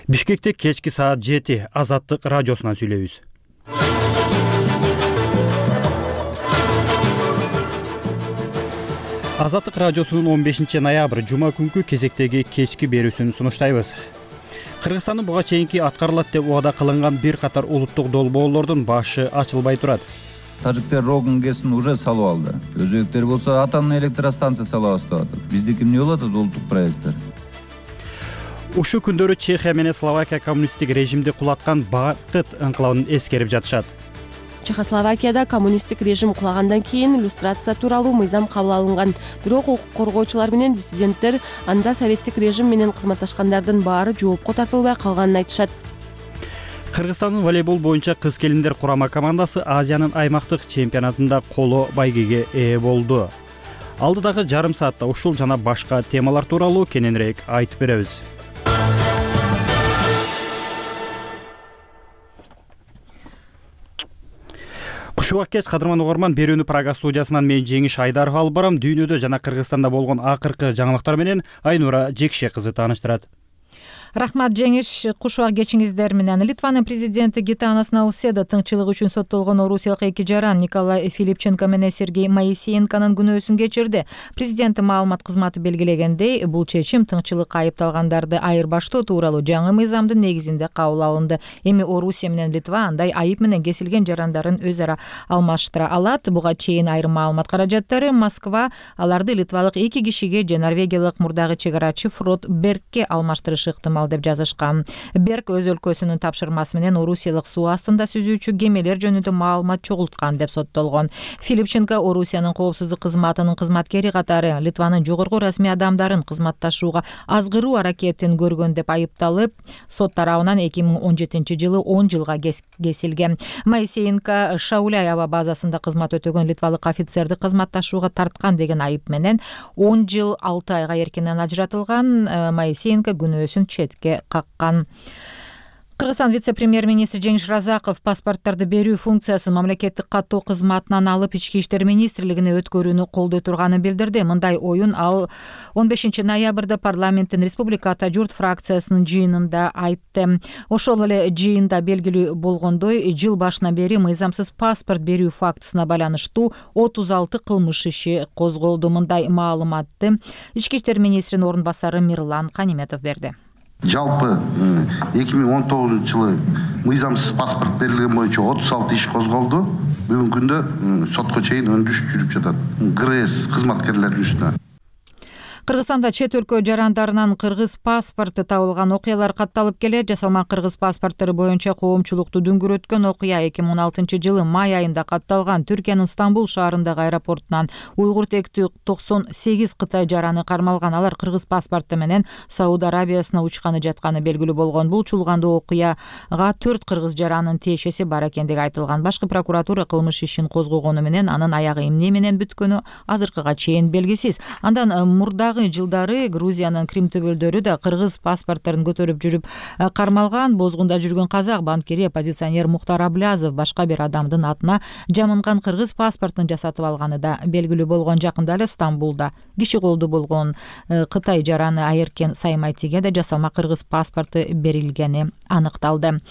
Бишкекте кечки саат 7 Азаттык радиосунан сүйлөйбүз. Азаттык радиосунун 15 ноябрь жума күнкү кезектеги кечки берүүсүн сунуштайбыз. Кыргызстандын буга чейинки аткарылат деп убада кылынган бир катар улуттук долбоорлордун башы ачылбай турат. Тажиктер Рогун ГЭСин уже салып алды. Өзбектер болсо атомный электростанция салабыз деп атат. Биздики эмне болот улуттук проекттер? Ушул күндөрү Чехия менен Словакия коммунисттик режимди кулаткан Бакыт ыңкылабын эскерип жатышат. Чехословакияда коммунисттик режим кулагандан кийин иллюстрация тууралуу мыйзам кабыл алынган. Бирок укук коргоочулар менен диссиденттер анда советтик режим менен кызматташкандардын баары жоопко тартылбай калганын айтышат. Кыргызстандын волейбол боюнча кыз келиндер курама командасы Азиянын аймактык чемпионатында коло байгеге ээ болду. Алдыдагы жарым саатта ушул жана башка темалар тууралуу кененирээк айтып беребиз. Кушубак кеч кадырман угарман, берүүнү Прага студиясынан мен Жеңиш Айдаров алып барам. Дүйнөдө жана Кыргызстанда болгон акыркы жаңылыктар менен Айнура Жекше кызы тааныштырат. Рахмат Жеңиш, кушубак кечиңиздер менен. Литванын президенти Гитанас Науседа тыңчылык үчүн соттолгон орусиялык эки жаран Николай Филипченко менен Сергей Моисеенконун күнөөсүн кечирди. Президенттин маалымат кызматы белгилегендей, бул чечим тыңчылыкка айыпталгандарды айырбаштоо тууралуу жаңы мыйзамдын негизинде кабыл алынды. Эми Орусия менен Литва андай айып менен кесилген жарандарын өз ара алмаштыра алат. Буга чейин айрым маалымат каражаттары Москва аларды литвалык эки кишиге же норвегиялык мурдагы чегарачы Фрод Бергке алмаштырышы ыктымал деп жазышкан. Берг өз өлкөсүнүн тапшырмасы менен Орусиялык суу астында сүзүүчү кемелер жөнүндө маалымат чогулткан деп соттолгон. Филипченко Орусиянын коопсуздук кызматынын кызматкери катары Литванын жогорку расмий адамдарын кызматташууга азгыруу аракетин көргөн деп айыпталып, сот тарабынан 2017-жылы 10 жылга кесилген. Моисеенко Шауляй аба базасында кызмат өтөгөн литвалык офицерди кызматташууга тарткан деген айып менен 10 жыл 6 айга эркинен ажыратылган. Моисеенко күнөөсүн четке каккан. Кыргызстан вице-премьер-министри Жеңиш Разаков паспорттарды берүү функциясын мамлекеттик каттоо кызматынан алып Ички иштер министрлигине өткөрүүнү колдой турганын билдирди. Мындай оюн ал 15 ноябрда парламенттин Республика Ата журт фракциясынын жыйынында айтты. Ошол эле жыйында белгилүү болгондой, жыл башынан бери мыйзамсыз паспорт берүү фактысына байланыштуу 36 кылмыш иши козголду. Мындай маалыматты Ички иштер министринин орун басары Мирлан Каниметов берди. Жалпы 2019 жылы мыйзамсыз паспорт берилген боюнча 36 иш козголду. Бүгүнкү күндө сотко чейин өндүрүш жүрүп жатат. ГРС кызматкерлеринин үстүнө. Кыргызстанда чет өлкө жарандарынан кыргыз паспорты табылган окуялар катталып келет. Жасалма кыргыз паспорттары боюнча коомчулукту дүңгүрөткөн окуя 2016 жылы май айында катталган. Түркиянын Стамбул шаарындагы аэропортунан уйгур тектүү 98 кытай жараны кармалган. Алар кыргыз паспорты менен Сауд Арабиясына учканы жатканы белгилүү болгон. Бул чулгандуу окуяга 4 кыргыз жаранын тиешеси бар экендиги айтылган. Башкы прокуратура кылмыш ишин козгогону менен анын аягы эмне менен бүткөнү азыркыга чейин белгисиз. Андан мурдагы жылдары Грузиянын Крим төбөлдөрү да кыргыз паспорттарын көтөрүп жүрүп кармалган. Бозгунда жүргөн казак банкири оппозиционер Мухтар Аблязов башка бир адамдын атына жамынган кыргыз паспортун жасатып алганы да белгилүү болгон. Жакында эле Стамбулда киши колду болгон Кытай жараны Айеркен Саймайтиге да жасалма кыргыз паспорту берилгени аныкталды.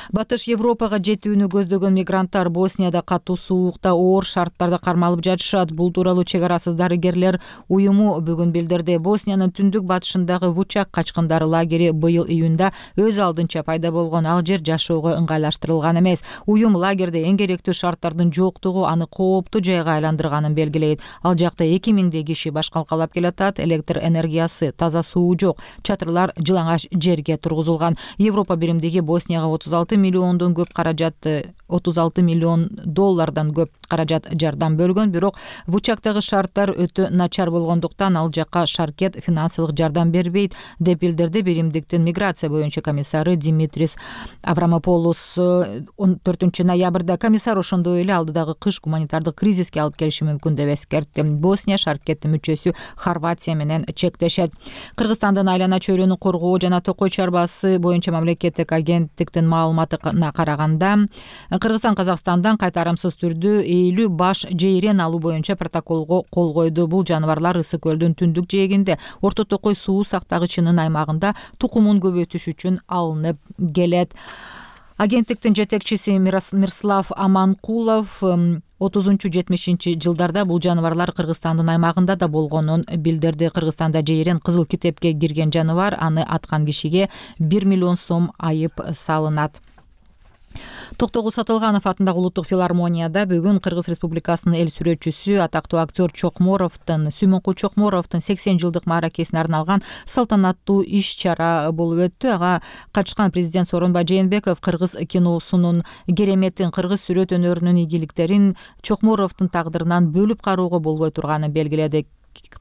Батыш Европага жетүүнү көздөгөн мигранттар Боснияда катуу суукта оор шарттарда кармалып жатышат. Бул тууралуу чек арасыз дарыгерлер уюму бүгүн билдирди. Босниянын түндүк батышындагы Вучак качкындары лагери быйыл июнда өз алдынча пайда болгон. Ал жер жашоого ыңгайлаштырылган эмес. Уюм лагерде эң керектүү шарттардын жоктугу аны кооптуу жайга айландырганын белгилейт. Ал жакта 2000 киши баш калкалап келатат. Электр энергиясы, таза суу жок. Чатырлар жылаңач жерге тургузулган. Европа биримдиги Боснияга 36 миллиондон көп каражатты 36 миллион доллардан көп каражат жардам бөлгөн. Бирок Вучактагы шарттар өтө начар болгондуктан ал жакка Шаркет финансылык жардам бербейт деп билдирди биримдиктин миграция боюнча комиссары Димитрис Аврамополос. 14 ноябрда комиссар ошондой эле алдыдагы кыш гуманитардык кризиске алып келиши мүмкүн деп эскертти. Босния Шаркеттин мүчөсү Хорватия менен чектешет. Кыргызстандын айлана чөйрөнү коргоо жана токой чарбасы боюнча мамлекеттик агенттиктин маалыматына караганда, Кыргызстан Казакстандан кайтарымсыз түрдө 50 баш жейрен алуу боюнча протоколго кол койду. Бул жаныбарлар Ысык көлдүн түндүк жээгинде Орто Токой суу сактагычынын аймагында тукумун көбөйтүш үчүн алынып келет. Агенттиктин жетекчиси Мирслав Аманкулов 30-70 жылдарда бул жаныбарлар Кыргызстандын аймагында да болгонун билдирди. Кыргызстанда жайрен кызыл китепке кирген жаныбар, аны аткан кишиге 1 миллион сом айып салынат. Токтогул Сатылганов атындагы улуттук филармонияда бүгүн Кыргыз Республикасынын эл сүрөтчүсү, атактуу актер Сүймөнкул Чокморовдун 80 жылдык мааракесине арналган салтанаттуу иш-чара болуп өттү. Ага катышкан президент Сооронбай Жээнбеков кыргыз киносунун кереметин, кыргыз сүрөт өнөрүнүн ийгиликтерин Чокморовдун тагдырынан бөлүп кароого болбой турганын белгиледи.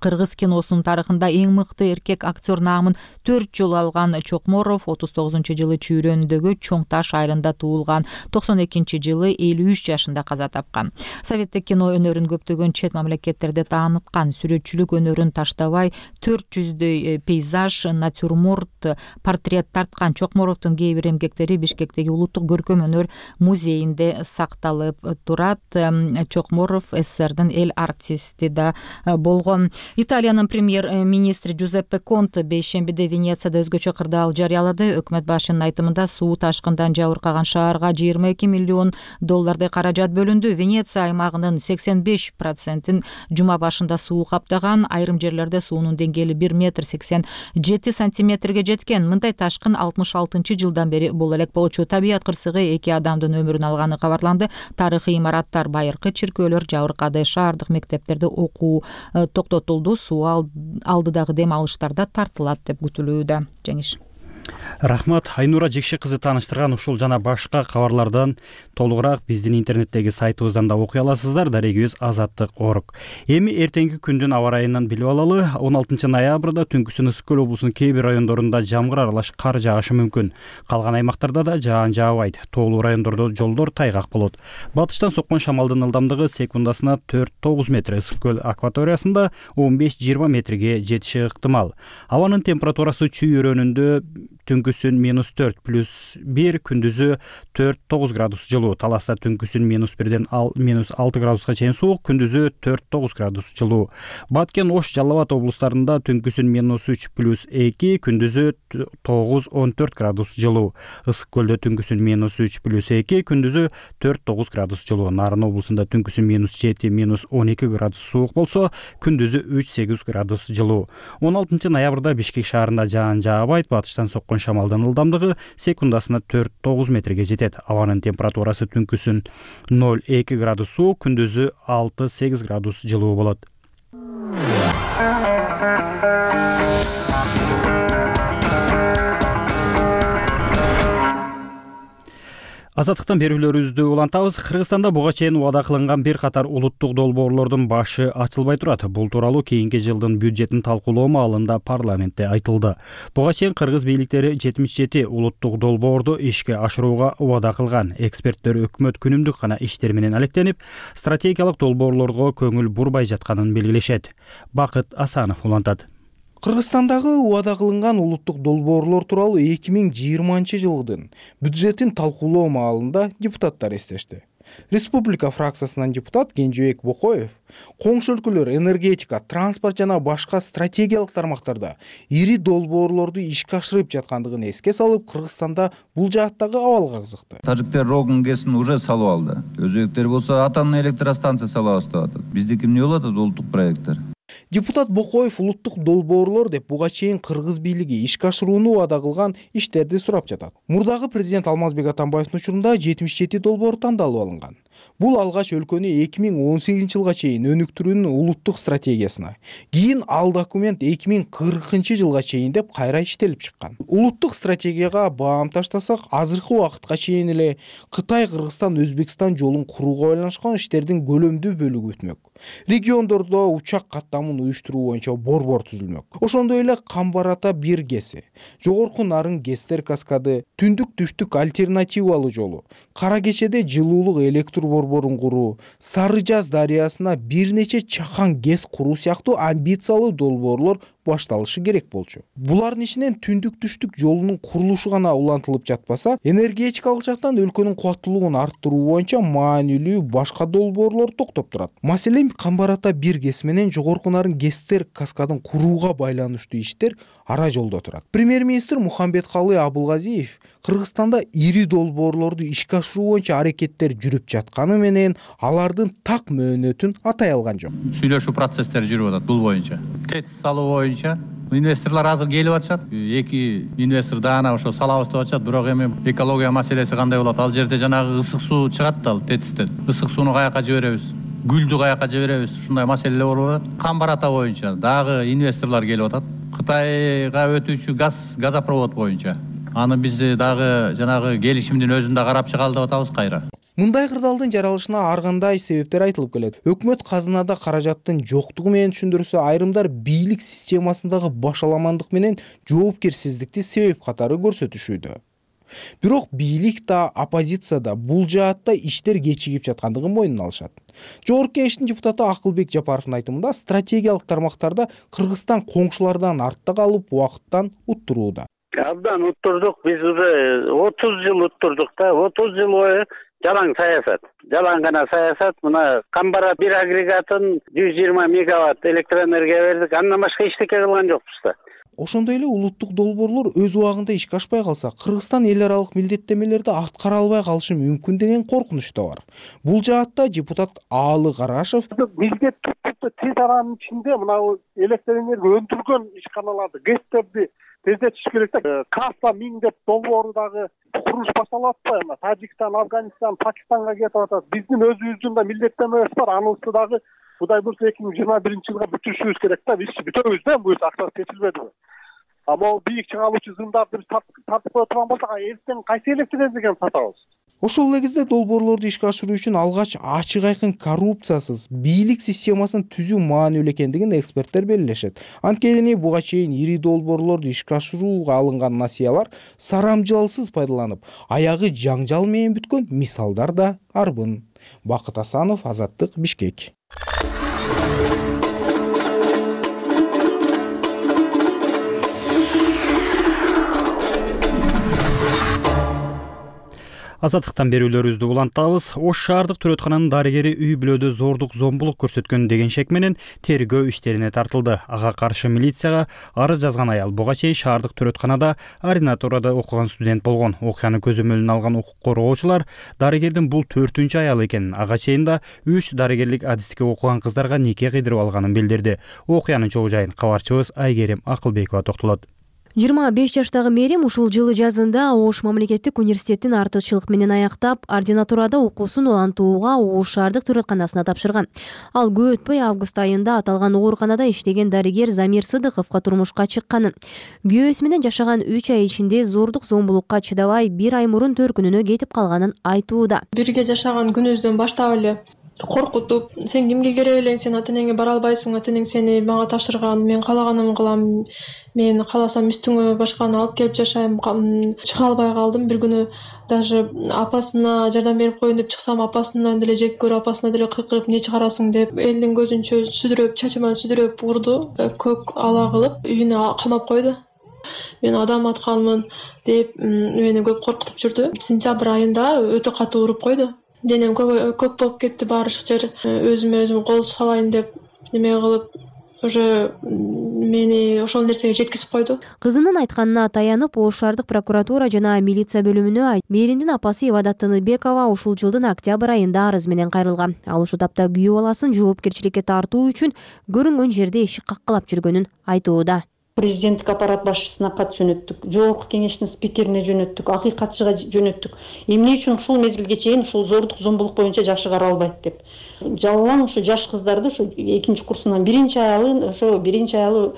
Кыргыз киносунун тарыхында эң мыкты эркек актер наамын 4 жолу алган Чокморов 39-жылы Чүйрөндөгү Чоң Таш айылында туулган, 92-жылы 53 жашында каза тапкан. Советтик кино өнөрүн көптөгөн чет мамлекеттерде тааныткан, сүрөтчүлүк өнөрүн таштабай 400дөй пейзаж, натюрморт, портрет тарткан Чокморовдун кээ бир эмгектери Бишкектеги улуттук көркөм өнөр музейинде сакталып турат. Чокморов СССРдин эл артисти да болгон. Италиянын премьер-министри Джузеппе Конте бейшембиде Венецияда өзгөчө кырдаал жарыялады. Өкмөт башчынын айтымында суу ташкындан жабыркаган шаарга 22 миллион доллардай каражат бөлүндү. Венеция аймагынын 85%-ин жума башында суу каптаган. Айрым жерлерде суунун деңгээли 1 метр 87 сантиметрге жеткен. Мындай ташкын 66-жылдан бери боло элек болчу. Табият кырсыгы 2 адамдын өмүрүн алганы кабарланды. Тарыхый имараттар, байыркы чиркөөлөр жабыркады. Шаардык мектептерде окуу токтотулду. Суу алдыдагы дем алыштар да тартылат деп күтүлүүдө. Жеңиш. Рахмат. Айнура Жекши кызы тааныштырган ушул жана башка кабарлардан толугураак биздин интернеттеги сайтыбыздан да окуй аласыздар. Дарегибиз Азаттык.org. Эми эртеңки күндүн аба ырайынан билип алалы. 16 ноябрда түнкүсүн Ысык көл облусунун кээ бир райондорунда жамгыр аралаш кар жаашы мүмкүн. Калган аймактарда да жаан жаабайт. Тоолуу райондордо жолдор тайгак болот. Батыштан соккон шамалдын ылдамдыгы секундасына 4-9 метр, Ысык көл акваториясында 15-20 метрге жетиши ыктымал. Абанын температурасы чүйрөнүндө түнкүсүн -4+1, күндүзү 4-9 градус жылуу. Таласта түнкүсүн -1ден -6 градуска чейин суук, күндүзү 4-9 градус жылуу. Баткен, Ош, Жалал Абад облустарында түнкүсүн -3+2, күндүзү 9-14 градус жылуу. Ысык көлдө түнкүсүн -3+2, күндүзү 4-9 градус жылуу. Нарын облусунда түнкүсүн -7-12 градус суук болсо, күндүзү 3-8 градус жылуу. 16 ноябрда Бишкек шаарында жаан жаабайт. Батыштан соккон шамалдын ылдамдыгы секундасына 4-9 метрге жетет. Абанын температурасы түнкүсүн 0-2 градус суук, күндүзү 6-8 градус жылуу болот. Азаттыктан берүүлөрүбүздү улантабыз. Кыргызстанда буга чейин убада кылынган бир катар улуттук долбоорлордун башы ачылбай турат. Бул тууралуу кийинки жылдын бюджетин талкуулоо маалында парламентте айтылды. Буга чейин кыргыз бийликтери 77 улуттук долбоорду ишке ашырууга убада кылган. Эксперттер өкмөт күнүмдүк гана иштер менен алектенип, стратегиялык долбоорлорго көңүл бурбай жатканын белгилешет. Бакыт Асанов улантат. Кыргызстандагы убада кылынган улуттук долбоорлор тууралуу 2020 жылдын бюджетин талкуулоо маалында депутаттар эстешти. Республика фракциясынан депутат Кенжебек Бокоев коңшу өлкөлөр энергетика, транспорт жана башка стратегиялык тармактарда ири долбоорлорду ишке ашырып жаткандыгын эске салып, Кыргызстанда бул жааттагы абалга кызыкты. Тажиктер Рогун ГЭСин уже салып алды. Өзбектер болсо атомный электростанция салабыз деп атат. Биздики эмне болот улуттук проекттер? Депутат Бокоев улуттук долбоорлор деп буга чейин кыргыз бийлиги ишке ашырууну убада кылган иштерди сурап жатат. Мурдагы президент Алмазбек Атамбаевдин учурунда 77 долбоор тандалып алынган. Бул алгач өлкөнү 2018 жылга чейин өнүктүрүүнүн улуттук стратегиясына, кийин ал документ 2040 жылга чейин деп кайра иштелип чыккан. Улуттук стратегияга баам таштасак, азыркы убакытка чейин эле Кытай, Кыргызстан, Өзбекстан жолун курууга байланышкан иштердин көлөмдүү бөлүгү өтмөк. Региондордо учак каттамын уюштуруу боюнча борбор түзүлмөк. Ошондой эле Камбар Ата 1 ГЭСи, Жогорку Нарын ГЭСтер каскады, Түндүк-Түштүк альтернативалуу жолу, Кара Кечеде жылуулук электр борборун куруу, Сары Жаз дарыясына бир нече чакан ГЭС куруу сыяктуу амбициялуу долбоорлор башталышы керек болчу. Булардын ичинен түндүк түштүк жолунун курулушу гана улантылып жатпаса, энергетикалык жактан өлкөнүн кубаттуулугун арттыруу боюнча маанилүү башка долбоорлор токтоп турат. Маселен, Камбар Ата 1 ГЭС менен Жогорку Нарын ГЭСтер каскадын курууга байланыштуу иштер ара жолдо турат. Премьер-министр Мухамбеткалый Абылгазиев Кыргызстанда ири долбоорлорду ишке ашыруу боюнча аракеттер жүрүп жатканы менен алардын так мөөнөтүн атай алган жок. Сүйлөшүү процесстери жүрүп атат бул боюнча. ТЭЦ салуу боюнча инвесторлор азыр келип атышат. 2 инвестор даана ошо салабыз деп атышат. Бирок эми экология маселеси кандай болот? Ал жерде жанагы ысык суу чыгат да, ал ТЭЦтен. Ысык сууну каяка жиберебиз? Гүлдү каяка жиберебиз? Ушундай маселелер болуп атат. Камбар Ата боюнча дагы инвесторлор келип атат. Кытайга өтүүчү газопровод боюнча. Аны биз дагы жанагы келишимдин өзүн да карап чыгалы деп атабыз кайра. Мындай кырдаалдын жаралышына ар кандай себептер айтылып келет. Өкмөт казынада каражаттын жоктугу менен түшүндүрсө, айрымдар бийлик системасындагы башаламандык менен жоопкерсиздикти себеп катары көрсөтүшүүдө. Бирок бийлик да, оппозиция да бул жаатта иштер кечигип жаткандыгын мойнуна алышат. Жогорку Кеңештин депутаты Акылбек Жапаровдун айтымында, стратегиялык тармактарда Кыргызстан коңшулардан артта калып, убакыттан уттурууда. Абдан уттурдук, биз уже 30 жыл уттурдук да, 30 жыл бою жалаң саясат. Жалаң гана саясат. Мына Камбара 1 агрегатын 120 мегаватт электроэнергия бердик. Андан башка эчтеке кылган жокпуз да. Ошондой эле улуттук долбоорлор өз убагында ишке ашпай калса, Кыргызстан эл аралык милдеттенмелерди аткара албай калышы мүмкүн деген коркунуч да бар. Бул жаатта депутат Аалы Карашев милдет тез аранын ичинде мына электроэнергия өндүргөн ишканаларды, ГЭСтерди тездетиш керек да. Кафа 1000 деп долбоору дагы курулуш башталып атпайбы? Тажикстан, Афганистан, Пакистанга кетип атат. Биздин өзүбүздүн да милдеттенмебиз бар. Анысы дагы Кудай буюрса 2021-жылга бүтүрүшүбүз керек да. Биз бүтөбүз да, буюрса акчасы чечилбедиби? Ама бийик чыгаалуучу зымдарды биз тартып кое турган болсок, эртең кайсы электроэнергияны сатабыз? Ошол эле кезде долбоорлорду ишке ашыруу үчүн алгач ачык айкын коррупциясыз бийлик системасын түзүү маанилүү экендигин эксперттер белгилешет. Анткени буга чейин ири долбоорлорду ишке ашырууга алынган насыялар сарамжалсыз пайдаланып, аягы жаңжал менен бүткөн мисалдар да арбын. Бакыт Асанов, Азаттык, Бишкек. Азаттыктан берүүлөрүбүздү улантабыз. Ош шаардык төрөткананын дарыгери үй бүлөдө зордук зомбулук көрсөткөн деген шек менен тергөө иштерине тартылды. Ага каршы милицияга арыз жазган аял буга чейин шаардык төрөтканада ординатурада окуган студент болгон. Окуяны көзөмөлүнө алган укук коргоочулар дарыгердин бул 4-үнчү аялы экенин, ага чейин да 3 дарыгерлик адистикке окуган кыздарга нике кыйдырып алганын билдирди. Окуянын чогуу жайын кабарчыбыз Айгерим Акылбекова токтолот. 25 жаштагы Мерим ушул жылы жазында Ош мамлекеттик университетин артыкчылык менен аяктап, ординатурада окуусун улантууга Ош шаардык төрөтканасына тапшырган. Ал көп өтпөй август айында аталган ооруканада иштеген дарыгер Замир Сыдыковго турмушка чыкканын, күйөөсү менен жашаган 3 ай ичинде зордук зомбулукка чыдабай 1 ай мурун төркүнүнө кетип калганын айтууда. Бирге жашаган күнүбүздөн баштап эле коркутуп, сен кимге керек элең, сен ата энеңе бара албайсың, ата энең сени мага тапшырган, мен каалаганымды кылам, мен кааласам үстүңө башканы алып келип жашайм. Чыга албай калдым. Бир күнү даже апасына жардам берип коеюн деп чыксам, апасынан деле жек көрүп, апасына деле кыйкырып, эмне чыгарасың деп, элдин көзүнчө сүдүрөп, чачыман сүдүрөп урду, көк ала кылып үйүнө камап койду. Мен адам атканмын деп мени көп коркутуп жүрдү. Сентябрь айында өтө катуу уруп койду. Денем көк болуп кетти, баардык жер. Өзүмө өзүм кол салайын деп неме кылып, уже мени ошол нерсеге жеткизип койду. Кызынын айтканына таянып, Ош шаардык прокуратура жана милиция бөлүмүнө Меримдин апасы Ивадат Тыныбекова ушул жылдын октябрь айында арыз менен кайрылган. Ал ушул тапта күйөө баласын жоопкерчиликке тартуу үчүн көрүнгөн жерде эшик каккылап жүргөнүн айтууда. Президенттик аппарат башчысына кат жөнөттүк, Жогорку Кеңештин спикерине жөнөттүк, акыйкатчыга жөнөттүк. Эмне үчүн ушул мезгилге чейин ушул зордук зомбулук боюнча жашы каралбайт деп. Жалалаң ушу жаш кыздарды, ушу 2-нчи курсунан 1-нчи аялы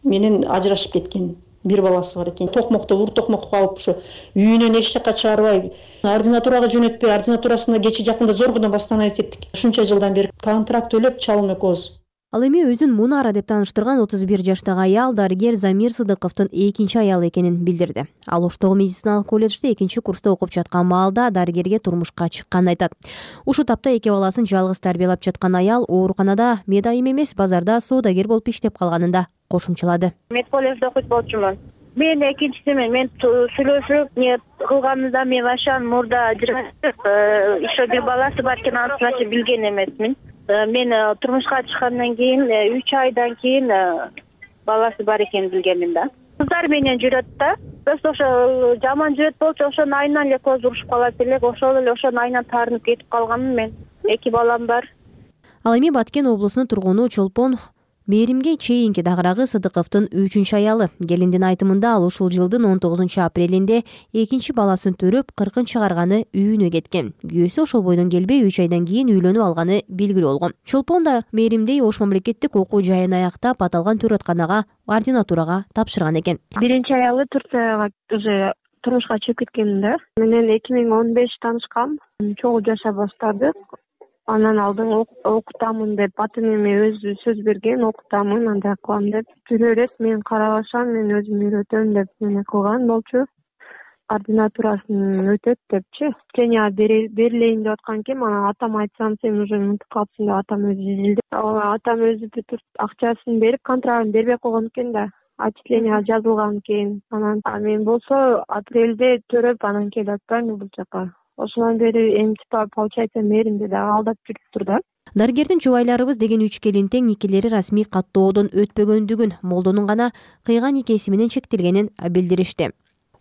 менен ажырашып кеткен. Бир баласы бар экен. Токмокто ур токмокко алып ушу үйүнөн эч жакка чыгарбай, ординатурага жөнөтпөй, ординатурасында кечи жакында зоргодон бастан айтеттик. Ушунча жылдан бери контракт төлөп чалым экөөбүз. Ал эми өзүн Мунара деп тааныштырган 31 жаштагы аял дарыгер Замир Сыдыковдун экинчи аялы экенин билдирди. Ал Оштогу медициналык колледжде экинчи курста окуп жаткан маалда дарыгерге турмушка чыкканын айтат. Ушул тапта эки баласын жалгыз тарбиялап жаткан аял ооруканада медайым эмес, базарда соодагер болуп иштеп калганын да кошумчалады. Медколледжде окуйт болчумун. Мен экинчисимен мен сүйлөшүп не кылганымда мен ашан мурда еще бир баласы бар экенин анча билген эмесмин. Мен турмушка чыккандан кийин 3 айдан кийин баласы бар экенин билгенмин да. Кыздар менен жүрөт да. Просто ошо жаман жүрөт болчу, ошонун айынан эле көз урушуп калат элек, ошол эле ошонун айынан таарынып кетип калганмын мен. 2 балам бар. Ал эми Баткен облусунун тургуну Чолпон Мээримге чейинки дагырагы Сыдыковдун 3-чү аялы. Келиндин айтымында ал ушул жылдын 19 апрелинде экинчи баласын төрөп, 40 чыгарганы үйүнө кеткен. Күйөөсү ошол бойдон келбей 3 айдан кийин үйлөнүп алганы белгилүү болгон. Чолпон да Мээримдей Ош мамлекеттик окуу жайын аяктап, аталган төрөтканага ординатурага тапшырган экен. Биринчи аялы Турцияга уже турмушка чыгып кеткен да. Менен 2015 таанышкам, чогуу жашап баштадык. Анан алдын окутамын деп аты эме өзү сөз берген, окутамын, андай кылам деп. Бир ирет мен карабашам, мен өзүм үйрөтөм деп мени кылган болчу. Ординатурасын өтөт депчи. Кения берилейин деп аткан экен, анан атама айтсам, сен уже унутуп калыпсың деп атам өзү изилди. Атам өзү акчасын берип, контрагын бербей койгон экен да. Отчисление жазылган экен. Анан мен болсо апрелде төрөп, анан келип атпаймынбы бул жака. Ошондон бери эми получается Мээримде да алдап жүрүптүр да. Дарыгердин жубайларыбыз деген 3 келинтең никелери расмий каттоодон өтпөгөндүгүн, молдонун гана кыйган никеси менен чектелгенин билдиришти.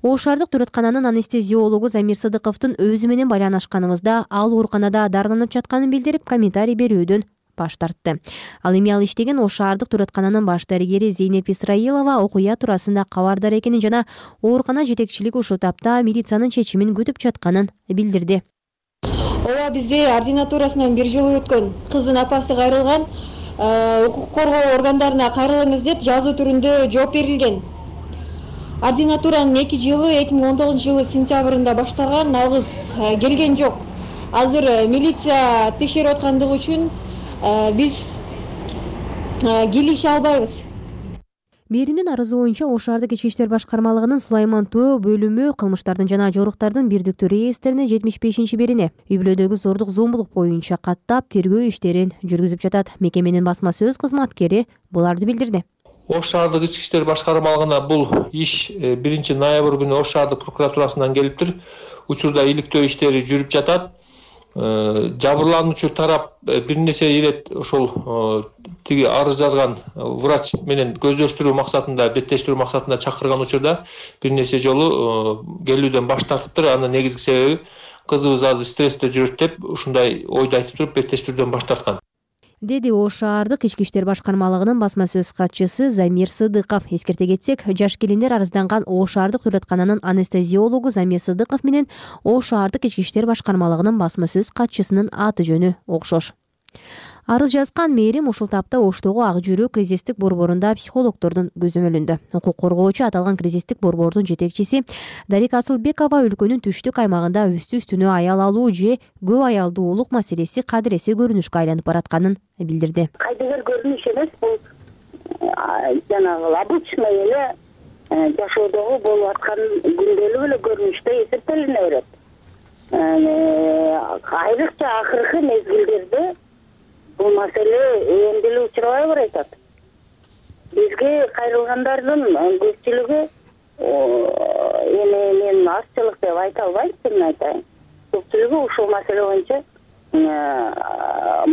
Ош шаардык төрөткананын анестезиологу Замир Сыдыковдун өзү менен байланышканыбызда ал ооруканада дарыланып жатканын билдирип, комментарий берүүдөн баш тартты. Ал эми ал иштеген Ош шаардык төрөткананын баш дарыгери Зейнеп Исраилова окуя туурасында кабардар экенин жана оорукана жетекчилиги ушул тапта милициянын чечимин күтүп жатканын билдирди. Ооба, бизде ординатурасынан 1 жыл өткөн. Кыздын апасы кайрылган, укук коргоо органдарына кайрылыңыз деп жазуу түрүндө жооп берилген. Ординатуранын 2 жылы 2019 жылы сентябрында баштаган, алгыз келген жок. Азыр милиция текшерип аткандыгы үчүн биз келише албайбыз. Мээримдин арызы боюнча Ош шаардык ички иштер башкармалыгынын Сулайман Төө бөлүмү кылмыштардын жана жоруктардын бирдиктүү реестрине 75-берине үй бүлөдөгү зордук зомбулук боюнча каттап тергөө иштерин жүргүзүп жатат. Мекеменин басма сөз кызматкери буларды билдирди. Ош шаардык ички иштер башкармалыгына бул иш 1 ноябрь күнү Ош шаардык прокуратурасынан келиптир. Учурда иликтөө иштери жүрүп жатат. Жабырлануучу тарап бир нече ирет ошол тиги арыз жазган врач менен көздөштүрүү максатында, беттештирүү максатында чакырган учурда бир нече жолу келүүдөн баш тартыптыр. Анын негизги себеби кызыбыз азыр стрессте жүрөт деп ушундай ойду айтып туруп беттештирүүдөн баш тарткан, деди Ош шаардык ички иштер башкармалыгынын басма сөз катчысы Замир Сыдыков. Эскерте кетсек, жаш келиндер арызданган Ош шаардык төрөткананын анестезиологу Замир Сыдыков менен Ош шаардык ички иштер башкармалыгынын басма сөз катчысынын аты жөнү окшош. Арыз жазган Мээрим ушул тапта Оштогу Ак Жүрөк кризистик борборунда психологдордун көзөмөлүндө. Укук коргоочу аталган кризистик борбордун жетекчиси Дарика Асылбекова өлкөнүн түштүк аймагында үстү-үстүнө аял алуу же көп аялдуулук маселеси кадыресе көрүнүшкө айланып баратканын билдирди. Кайдыгер көрүнүш эмес, бул жанагы обычный эле жашоодогу болуп аткан күндөлүк эле көрүнүштө эсептелине берет. Айрыкча акыркы мезгилдерде бул маселе эндиле учурабай баратат. Бизге кайрылгандардын көпчүлүгү эми мен азчылык деп айта албайм, чынын айтайын. Көпчүлүгү ушул маселе боюнча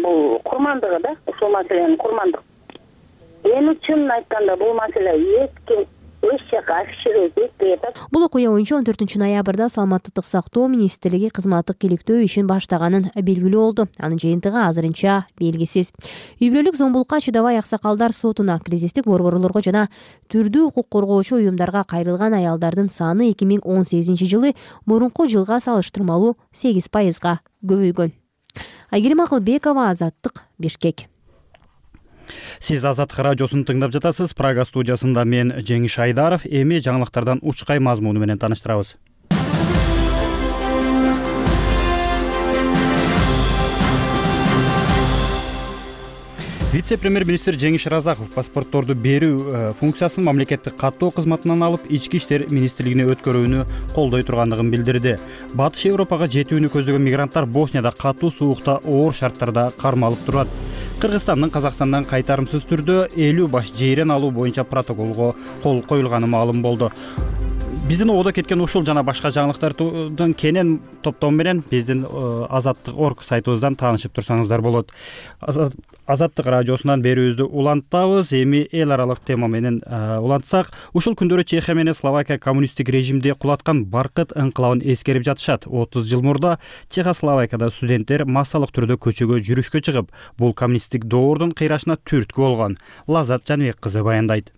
бул курмандыгы да, ушул маселенин курмандыгы. Эми чынын айтканда бул маселе эч жака афишировать этпей атат. Бул окуя боюнча 14 ноябрда Саламаттык сактоо министрлиги кызматтык иликтөө ишин баштаганын белгилүү болду. Анын жыйынтыгы азырынча белгисиз. Үй бүлөлүк зомбулукка чыдабай аксакалдар сотуна кризистик борборлорго жана түрдүү укук коргоочу уюмдарга кайрылган аялдардын саны 2018 жылы мурунку жылга салыштырмалуу 8%га көбөйгөн. Айгерим Акылбекова, Азаттык, Бишкек. Сиз Азаттык радиосун тыңдап жатасыз. Прага студиясында мен Жеңиш Айдаров. Эми жаңылыктардан учкай мазмуну менен тааныштырабыз. Вице-премьер-министр Жеңиш Разаков паспортторду берүү функциясын мамлекеттик каттоо кызматынан алып ички иштер министрлигине өткөрүүнү колдой тургандыгын билдирди. Батыш Европага жетүүнү көздөгөн мигранттар Боснияда катуу суукта оор шарттарда кармалып турат. Кыргызстандын Казакстандан кайтарымсыз түрдө 50 баш жейрен алуу боюнча протоколго кол коюлганы маалым болду. Биздин ободо кеткен ушул жана башка жаңылыктардын кенен топтому менен биздин Азаттык.орг сайтыбыздан таанышып турсаңыздар болот. Азаттык радиосунан берүүбүздү улантабыз. Эми эл аралык тема менен улантсак, ушул күндөрү Чехия менен Словакия коммунисттик режимди кулаткан Баркыт инкылабын эскерип жатышат. 30 жыл мурда Чехословакияда студенттер массалык түрдө көчөгө жүрүшкө чыгып, бул коммунисттик доордун кыйрашына түрткү болгон. Лазат Жаныбек кызы баяндайт.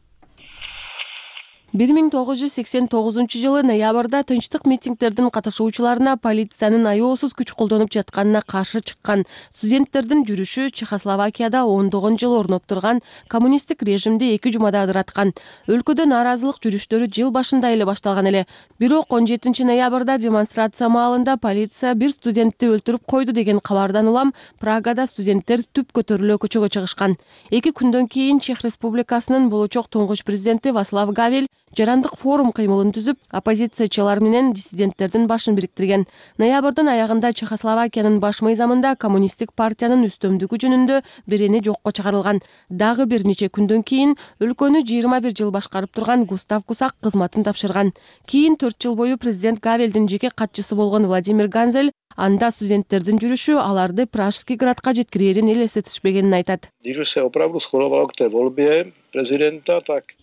1989 жылы ноябрда тынчтык митингдердин катышуучуларына полициянын аеосуз күч колдонуп жатканына каршы чыккан студенттердин жүрүшү Чехословакияда ондогон жыл орноп турган коммунисттик режимди 2 жумада ыдыраткан. Өлкөдө нааразылык жүрүштөрү жыл башында эле башталган эле. Бирок 17 ноябрда демонстрация маалында полиция бир студентти өлтүрүп койду деген кабардан улам Прагада студенттер түп көтөрүлө көчөгө чыгышкан. 2 күндөн кийин Чех Республикасынын болочок туңгуч президенти Вацлав Гавел жарандык форум кыймылын түзүп, оппозициячылар менен диссиденттердин башын бириктирген. Ноябрдын аягында Чехословакиянын баш мыйзамында коммунисттик партиянын үстөмдүгү жөнүндө берени жокко чыгарылган. Дагы бир нече күндөн кийин өлкөнү 21 жыл башкарып турган Густав Кусак кызматын тапшырган. Кийин 4 жыл бою президент Гавелдин жеке катчысы болгон Владимир Ганзель анда студенттердин жүрүшү аларды Пражский градка жеткирээрин элестетишпегенин айтат.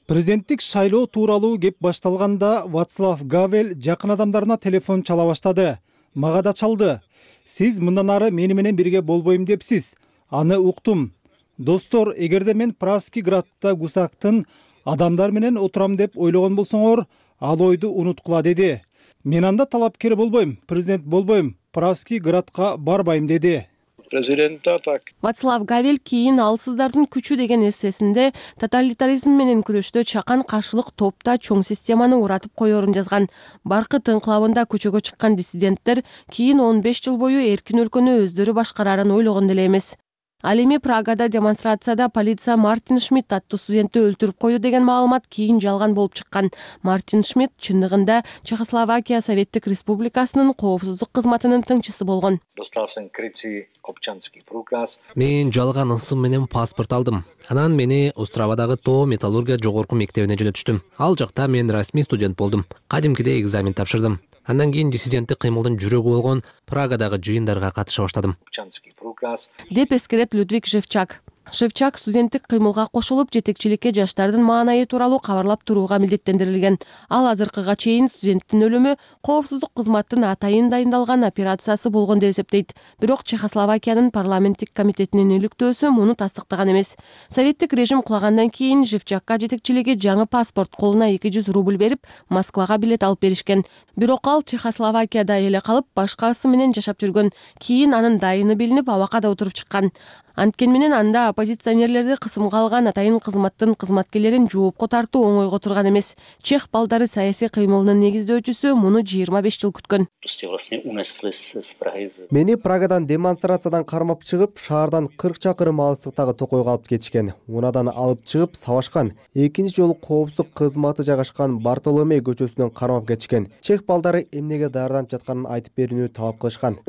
Президенттик шайлоо тууралуу кеп башталганда Вацлав Гавел жакын адамдарына телефон чала баштады. Мага да чалды. Сиз мындан ары мени менен бирге болбойм депсиз. Аны уктум. Достор, эгерде мен Пражский градта Гусактын адамдар менен отурам деп ойлогон болсоңор, ал ойду унуткула деди. Мен анда талапкер болбойм, президент болбойм, Пражский градка барбайм деди. Вацлав Гавел кийин алсыздардын күчү деген эссесинде тоталитаризм менен күрөштө чакан каршылык топта чоң системаны уратып коерун жазган. Баркыт инкылабында көчөгө чыккан диссиденттер кийин 15 жыл бою эркин өлкөнү өздөрү башкарарын ойлогон деле эмес. Ал эми Прагада демонстрацияда полиция Мартин Шмидт аттуу студентти өлтүрүп койду деген маалымат кийин жалган болуп чыккан. Мартин Шмидт чындыгында Чехословакия Советтик Республикасынын коопсуздук кызматынын тыңчысы болгон. Мен жалган ысым менен паспорт алдым. Анан мени Островадагы тоо металлургия жогорку мектебине жөнөтүштүм. Ал жакта мен расмий студент болдум. Кадимкидей экзамен тапшырдым. Андан кийин диссиденттик кыймылдын жүрөгү болгон Прагадагы жыйындарга катыша баштадым. Деп эскерет Людвиг Шевчак. Шевчак студенттик кыймылга кошулуп, жетекчиликке жаштардын маанайы тууралуу кабарлап турууга милдеттендирилген. Ал азыркыга чейин студенттин өлүмү коопсуздук кызматтын атайын дайындалган операциясы болгон деп эсептейт. Бирок Чехословакиянын парламенттик комитетинин иликтөөсү муну тастыктаган эмес. Советтик режим кулагандан кийин Шевчакка жетекчилиги жаңы паспорт колуна 200 рубль берип, Москвага билет алып беришкен. Бирок ал Чехословакияда эле калып, башкасы менен жашап жүргөн. Кийин анын дайыны билинип, абакада отуруп чыккан. Анткен менен анда оппозиционерлерди кысымга алган атайын кызматтын кызматкерлерин жоопко тартуу оңойго турган эмес. Чех балдары саясий кыймылынын негиздөөчүсү муну 25 жыл күткөн. Мени Прагадан демонстрациядан кармап чыгып, шаардан 40 чакырым алыстыктагы токойго алып кетишкен. Унадан алып чыгып сабашкан. Экинчи жолу коопсуздук кызматы жайгашкан Бартоломей көчөсүнөн кармап кетишкен. Чех балдары эмнеге даярданып жатканын айтып берүүнү талап кылышкан.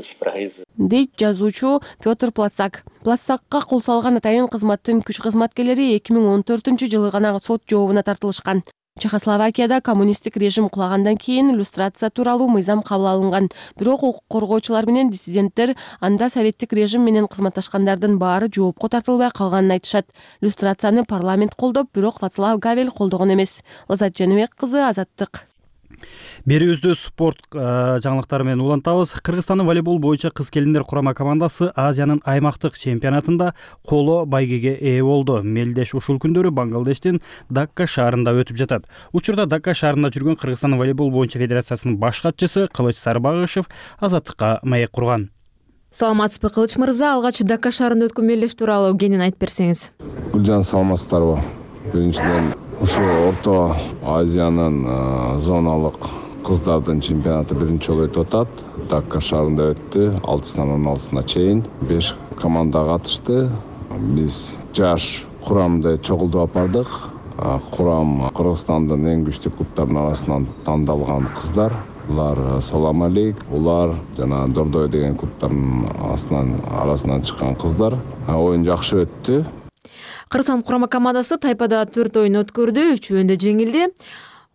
Дейт жазуучу Петр Плацак. Плацакка кол салган атайын кызматтын күч кызматкерлери 2014 жылы гана сот жообуна тартылышкан. Чехословакияда коммунисттик режим кулагандан кийин иллюстрация тууралуу мыйзам кабыл алынган. Бирок укук коргоочулар менен диссиденттер анда советтик режим менен кызматташкандардын баары жоопко тартылбай калганын айтышат. Иллюстрацияны парламент колдоп, бирок Вацлав Гавел колдогон эмес. Лазат Жаныбек кызы, Азаттык. Берүүбүздү спорт жаңылыктары менен улантабыз. Кыргызстандын волейбол боюнча кыз-келиндер курама командасы Азиянын аймактык чемпионатында коло байгеге ээ болду. Мелдеш ушул күндөрү Бангладештин Дакка шаарында өтүп жатат. Учурда Дакка шаарында жүргөн Кыргызстандын волейбол боюнча федерациясынын баш катчысы Кылыч Сарбагышев Азаттыкка маек курган. Саламатсызбы, Кылыч мырза, алгач Дакка шаарында өткөн мелдеш тууралуу кенен айтып берсеңиз. Гүлжан, саламатсыздарбы? Биринчиден ушул Орто Азиянын зоналык кыздардын чемпионаты биринчи жолу өтүп атат. Дакка шаарында өттү. 6-16-сына чейин 5 команда катышты. биз жаш курамды чогултуп алып бардык. Курам Кыргызстандын эң күчтүү клубтарынын арасынан тандалган кыздар. Булар Салам Алейк, булар жана Дордой деген клубтардын арасынан чыккан кыздар. Оюн жакшы өттү. Кыргызстан курама командасы тайпада 4 оюн өткөрдү, 3-өндө жеңилди.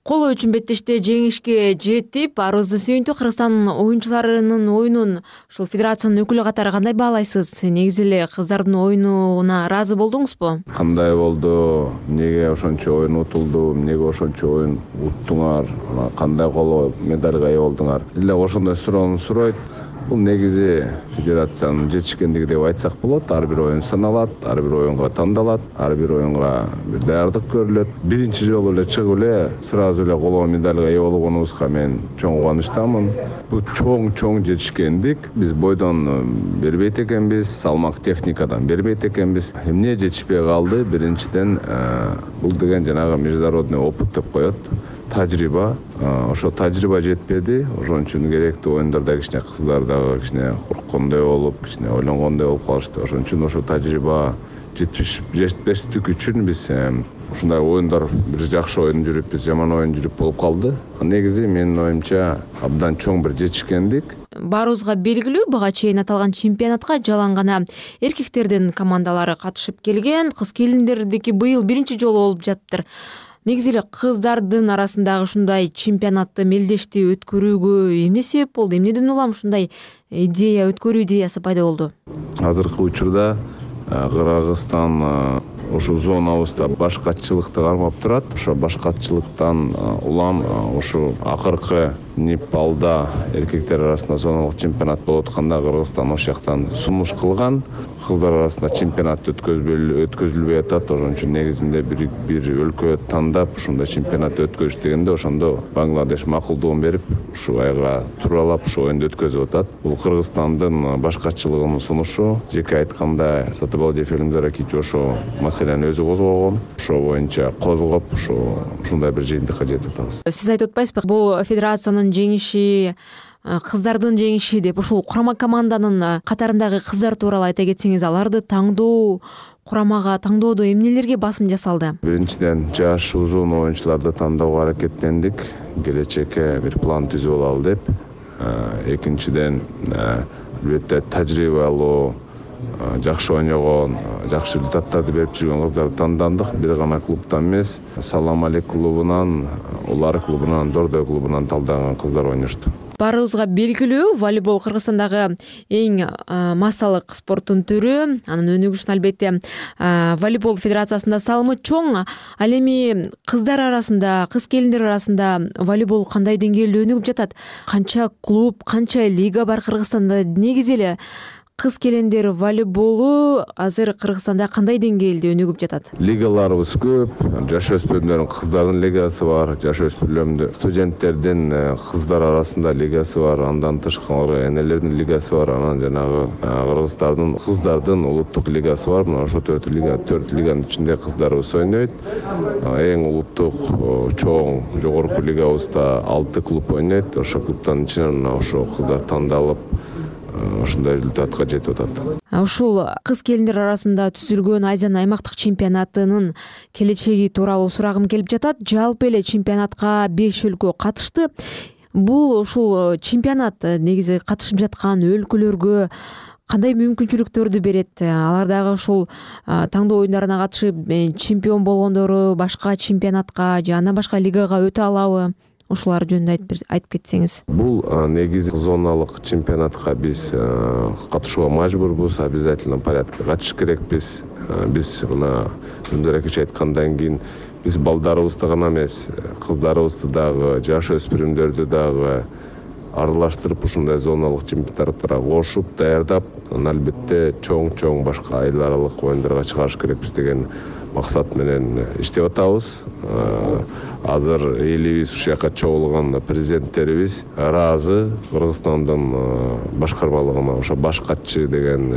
Коло үчүн беттеште жеңишке жетип, арызды сүйүнтүү Кыргызстан оюнчуларынын оюнун ушул федерациянын өкүлү катары кандай баалайсыз? Негизи эле кыздардын оюнуна ыраазы болдуңузбу? Кандай болду? Эмнеге ошончо оюн утулду? Эмнеге ошончо оюн уттуңар? Кандай коло медальга ээ болдуңар? Эле ошондой суроону суройт. Бул негизи федерациянын жетишкендиги деп айтсак болот. Ар бир оюн саналат, ар бир оюнга тандалат, ар бир оюнга бир даярдык көрүлөт. Биринчи жолу эле чыгып эле сразу эле коло медальга ээ болгонубузга мен чоң кубанычтамын. Бул чоң жетишкендик. Биз бойдон бербейт экенбиз, салмак техникадан бербейт экенбиз. Эмне жетишпей калды? Биринчиден бул деген жанагы международный опыт деп коет. Тажрыйба, ошо тажрыйба жетпеди. Ошон үчүн керектүү оюндарда кичине кыздар дагы кичине корккондой болуп, кичине ойлонгондой болуп калышты. Ошон үчүн ошо тажрыйба жетпештик үчүн биз ушундай оюндар бир жакшы оюн жүрүп, биз жаман оюн жүрүп болуп калды. Негизи менин оюмча абдан чоң бир жетишкендик. Баарыбызга белгилүү, буга чейин аталган чемпионатка жалаң гана эркектердин командалары катышып келген, кыз келиндердики быйыл биринчи жолу болуп жатыптыр. Негизи эле кыздардын арасындагы ушундай чемпионатты мелдешти өткөрүүгө эмне себеп болду? Эмнеден улам ушундай идея, өткөрүү идеясы пайда болду? Азыркы учурда Кыргызстан ушул зонабызда башкачылыкты кармап турат. Ошо башкачылыктан улам ушу акыркы Непалда эркектер арасында зоналык чемпионат болуп атканда Кыргызстан ошол жактан сунуш кылган. Кыздар арасында чемпионат өткөзүлбөй атат. Ошон үчүн негизинде бир өлкө тандап ушундай чемпионат өткөзүш дегенде ошондо Бангладеш макулдугун берип, ушу айга тууралап ушу оюнду өткөзүп атат. Бул Кыргызстандын башкачылыгынын сунушу. Жеке айтканда Сатыбалдиев Элимдар Акич ошо маселени өзү козгогон. Ошо боюнча козгоп, ушундай бир жыйынтыкка жетип атабыз. Сиз айтып атпайсызбы, бул федерациянын жеңиши, кыздардын жеңиши деп ушул курама команданын катарындагы кыздар тууралуу айта кетсеңиз, аларды таңдоо, курамага таңдоодо эмнелерге басым жасалды? Биринчиден жаш узун оюнчуларды тандоого аракеттендик, келечекке бир план түзүп алалы деп. Экинчиден албетте тажрыйбалуу, жакшы ойногон, жакшы результаттарды берип жүргөн кыздарды тандандык. Бир гана клубтан эмес, Салам Алейк клубунан, Улар клубунан, Дордой клубунан талданган кыздар ойношту. Баарыбызга белгилүү, волейбол Кыргызстандагы эң массалык спорттун түрү. Анын өнүгүшүнө албетте волейбол федерациясында салымы чоң. Ал эми кыздар арасында, кыз келиндер арасында волейбол кандай деңгээлде өнүгүп жатат? Канча клуб, канча лига бар Кыргызстанда? Негизи эле кыз келиндер волейболу азыр Кыргызстанда кандай деңгээлде өнүгүп жатат? Лигаларыбыз көп. Жаш өспүрүмдөрдүн кыздардын лигасы бар, жаш өспүрүмдөр студенттердин кыздар арасында лигасы бар, андан тышкары энелердин лигасы бар, анан жанагы кыргыздардын кыздардын улуттук лигасы бар. Мына ошо 4 лиганын ичинде кыздарыбыз ойнойт. Эң улуттук чоң жогорку лигабызда 6 клуб ойнойт. Ошо клубтан ичинен ошо кыздар тандалып ушундай результатка жетип атат. Ушул кыз келиндер арасында түзүлгөн Азиянын аймактык чемпионатынын келечеги тууралуу сурагым келип жатат. Жалпы эле чемпионатка 5 өлкө катышты. Бул ушул чемпионат негизи катышып жаткан өлкөлөргө кандай мүмкүнчүлүктөрдү берет? Алардагы ушул таңдоо оюндарына катышып чемпион болгондору башка чемпионатка же андан башка лигага өтө алабы? Ушулар жөнүндө айтып кетсеңиз. Бул негизи зоналык чемпионатка биз катышууга мажбурбуз, обязательно порядкта катышыш керекпиз. Биз мына Элимдар Акич айткандан кийин биз балдарыбызды гана эмес, кыздарыбызды дагы, жаш өспүрүмдөрдү дагы аралаштырып ушундай зоналык чемпионаттарга кошуп, даярдап, албетте чоң башка эл аралык оюндарга чыгарыш керекпиз деген максат менен иштеп атабыз. Азыр элибиз ушул жака чогулган президенттерибиз ыраазы. Кыргызстандын башкармалыгына ошо баш катчы деген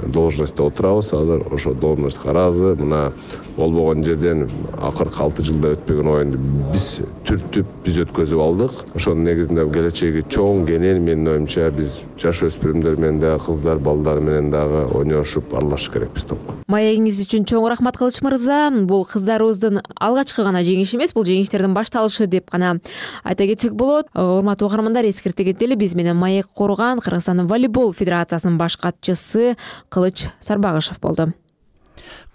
должностьто отурабыз. Азыр ошо должностько ыраазы. Мына болбогон жерден акыркы 6 жылда өтпөгөн оюнду биз түртүп, биз өткөзүп алдык. Ошонун негизинде келечеги чоң, кенен, менин оюмча биз жаш өспүрүмдөр менен дагы кыздар, балдар менен дагы ойношуп аралашыш керекпиз топ. Маегиңиз үчүн чоң рахмат Кылыч мырза. Бул кыздарыбыздын алгачкы гана жеңиши эмес, бул жеңиштердин башталышы деп гана айта кетсек болот. Урматтуу угармандар, эскерте кетели, биз менен маек курган Кыргызстандын волейбол федерациясынын баш катчысы Кылыч Сарбагышев болду.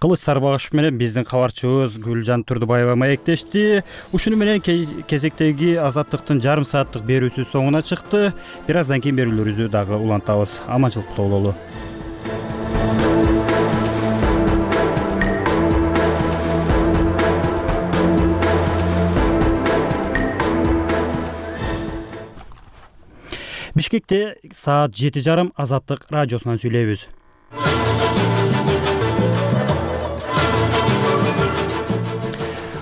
Кылыч Сарбагышев менен биздин кабарчыбыз Гүлжан Турдубаева маектешти. Ушуну менен кезектеги Азаттыктын жарым сааттык берүүсү соңуна чыкты. Бир аздан кийин берүүлөрүбүздү дагы улантабыз. Аманчылыкта бололу. Бишкекте саат 7:30 Азаттык радиосунан сүйлөйбүз.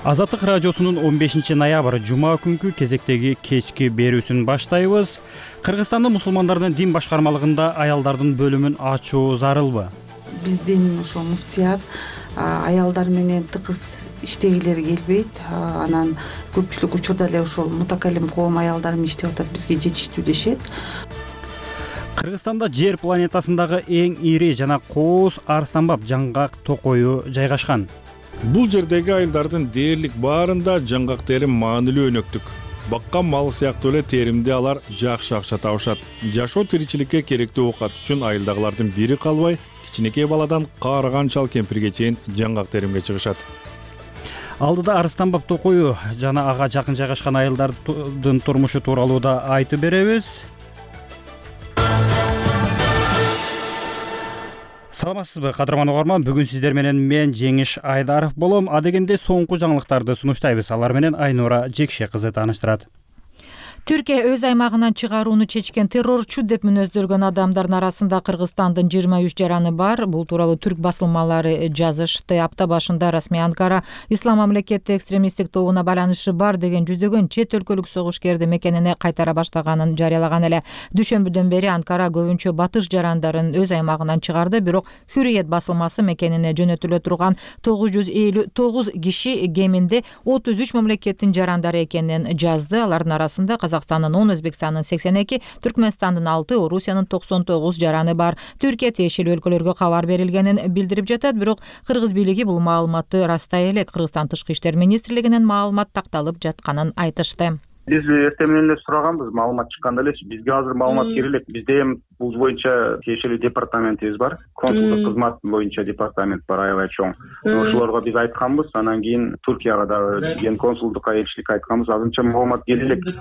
Азаттык радиосунун 15 ноябрь жума күнкү кезектеги кечки берүүсүн баштайбыз. Кыргызстандын мусулмандардын дин башкармалыгында аялдардын бөлүмүн ачуу зарылбы? Биздин ошо муфтият аялдар менен тыкыз иштегилери келбейт. Анан көпчүлүк учурда эле ошол мутакалим коом аялдар менен иштеп атат, бизге жетиштүү дешет. Кыргызстанда жер планетасындагы эң ири жана кооз арстанбап жаңгак токою жайгашкан. Бул жердеги айылдардын дээрлик баарында жаңгак терим маанилүү өнөктүк. Баккан мал сыяктуу эле теримди алар жакшы акча табышат. Жашоо тиричиликке керектүү оокат үчүн айылдагылардын бири калбай, кичинекей баладан каарыган чал кемпирге чейин жаңгак теримге чыгышат. Алдыда арстанбап токою жана ага жакын жайгашкан айылдардын турмушу тууралуу да айтып беребиз. Саламатсызбы, кадырман угарман? Бүгүн сиздер менен мен Жеңиш Айдаров болом. Адегенде соңку жаңылыктарды сунуштайбыз. Алар менен Айнура Жекше кызы тааныштырат. Түркия өз аймагынан чыгарууну чечкен террорчу деп мүнөздөлгөн адамдардын арасында Кыргызстандын 23 жараны бар. Бул тууралуу түрк басылмалары жазышты. Апта башында расмий Анкара Ислам мамлекети экстремисттик тобуна байланышы бар деген жүздөгөн чет өлкөлүк согушкерди мекенине кайтара баштаганын жарыялаган эле. Дүйшөмбүдөн бери Анкара көбүнчө батыш жарандарын өз аймагынан чыгарды, бирок Hürriyet басылмасы мекенине жөнөтүлө турган 959 киши кеминде 33 мамлекеттин жарандары экенин жазды. Алардын арасында Казакстандын 10, Өзбекстандын 82, Түркмөнстандын 6, Орусиянын 99 жараны бар. Түркия тиешелүү өлкөлөргө кабар берилгенин билдирип жатат, бирок кыргыз бийлиги бул маалыматты растай элек. Кыргызстан Тышкы иштер министрлигинен маалымат такталып жатканын айтышты. Биз эртең менен эле сураганбыз, маалымат чыкканда эле бизге азыр маалымат кире элек. Бизде эми бул боюнча тиешелүү департаментибиз бар. Консулдук кызмат боюнча департамент бар, аябай чоң. Ошолорго биз айтканбыз, анан кийин Туркияга дагы ген консулдук элчиликке айтканбыз. Азырынча маалымат келе элек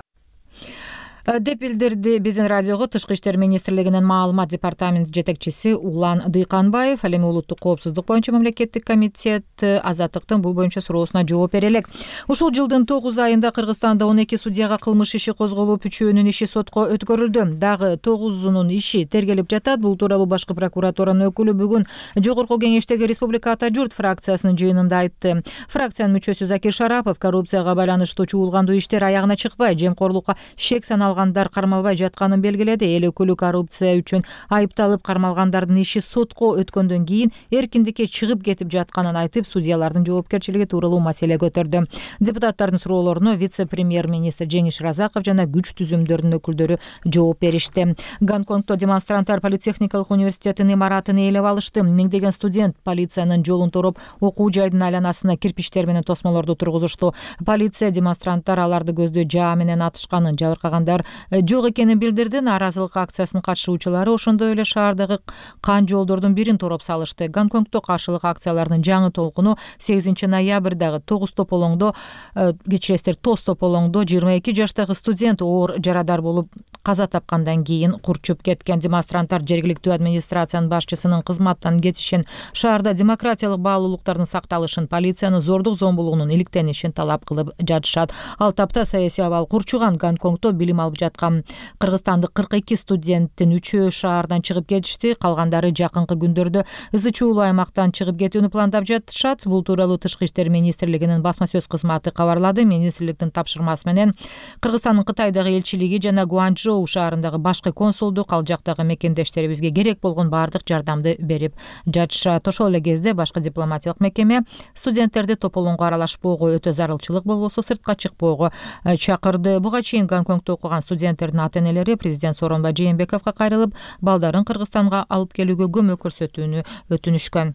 деп билдирди биздин радиого Тышкы иштер министрлигинин маалымат департаменти жетекчиси Улан Дыйканбаев. Ал эми улуттук коопсуздук боюнча мамлекеттик комитет Азаттыктын бул боюнча суроосуна жооп бере элек. Ушул жылдын 9 айында Кыргызстанда 12 судьяга кылмыш иши козголуп, 3-үнүн иши сотко өткөрүлдү. Дагы 9-унун иши тергелип жатат. Бул тууралуу башкы прокуратуранын өкүлү бүгүн Жогорку Кеңештеги Республика Ата журт фракциясынын жыйынында айтты. Фракциянын мүчөсү Закир Шарапов коррупцияга байланыштуу чуулгандуу иштер аягына чыкпай, жемкорлукка шек саналгандар кармалбай жатканын белгиледи. Эл өкүлү коррупция үчүн айыпталып кармалгандардын иши сотко өткөндөн кийин эркиндикке чыгып кетип жатканын айтып, судьялардын жоопкерчилиги тууралуу маселе көтөрдү. Депутаттардын суроолоруна вице-премьер-министр Жеңиш Разаков жана күч түзүмдөрдүн өкүлдөрү жооп беришти. Гонконгдо демонстранттар политехникалык университеттин имаратын ээлеп алышты. Миңдеген студент полициянын жолун тороп, окуу жайдын айланасына кирпичтер менен тосмолорду тургузушту. Полиция демонстранттар аларды көздөй жаа менен атышканын, жабыркагандар жок экенин билдирди. Нааразылык акциясынын катышуучулары ошондой эле шаардагы кан жолдордун бирин тороп салышты. Гонконгдо каршылык акциялардын жаңы толкуну 8 ноябрдагы Тоз тополоңдо 22 жаштагы студент оор жарадар болуп каза тапкандан кийин курчуп кеткен. Демонстранттар жергиликтүү администрациянын башчысынын кызматтан кетишин, шаарда демократиялык баалуулуктардын сакталышын, полициянын зордук зомбулугунун иликтенишин талап кылып жатышат. Ал тапта саясий абал курчуган Гонконгдо билим алып окуп жаткан. Кыргызстандык 42 студенттин 3-өө шаардан чыгып кетишти, калгандары жакынкы күндөрдө ызы чуулуу аймактан чыгып кетүүнү пландап жатышат. Бул тууралуу Тышкы иштер министрлигинин басма сөз кызматы кабарлады. Министрликтин тапшырмасы менен Кыргызстандын Кытайдагы элчилиги жана Гуанчжоу шаарындагы башкы консулдук ал жактагы мекендештерибизге керек болгон баардык жардамды берип жатышат. Ошол эле кезде башкы дипломатиялык мекеме студенттерди тополоңго аралашпоого, өтө зарылчылык болбосо сыртка чыкпоого чакырды. Буга чейин Гонконгдо окуган студенттердин ата-энелери президент Сооронбай Жээнбековго кайрылып, балдарын Кыргызстанга алып келүүгө көмөк көрсөтүүнү өтүнүшкөн.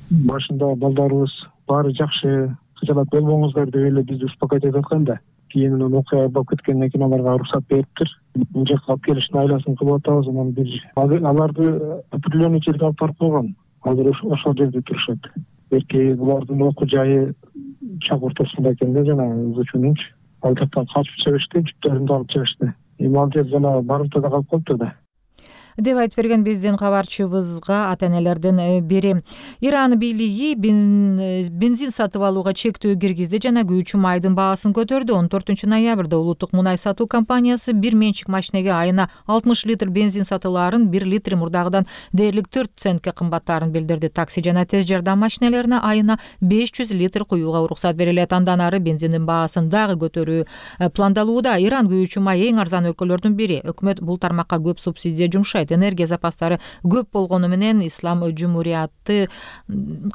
Башында балдарыбыз баары жакшы, кыжалат болбоңуздар деп эле бизди успокойтуп аткан да. Кийин окуя болуп кеткенден кийин аларга уруксат бериптир. Бул жака алып келиштин айласын кылып атабыз. Анан аларды определенный жерге алып барып койгон. Азыр ошол жерде турушат. Берки булардын окуу жайы чак ортосунда экен да, жана ызычуунунчу. Ал жактан качып чыгышты, жүктөрүндү алып чыгышты. Ал жер жана барымтада калып калыптыр да, деп айтып берген биздин кабарчыбызга ата-энелердин бири. Иран бийлиги бензин сатып алууга чектөө киргизди жана күйүүчү майдын баасын көтөрдү. 14 ноябрда улуттук мунай сатуу компаниясы бир менчик машинеге айына 60 литр бензин сатылаарын 1 литр мурдагыдан дээрлик 4 центке кымбаттаарын билдирди. Такси жана тез жардам машинелерине айына 500 литр куюуга уруксат берилет. Андан ары бензиндин баасын дагы көтөрүү пландалууда. Иран күйүүчү май эң арзан өлкөлөрдүн бири. Өкмөт бул тармакка көп субсидия жумшайт. Энергия запастары көп болгону менен Ислам Жумурияты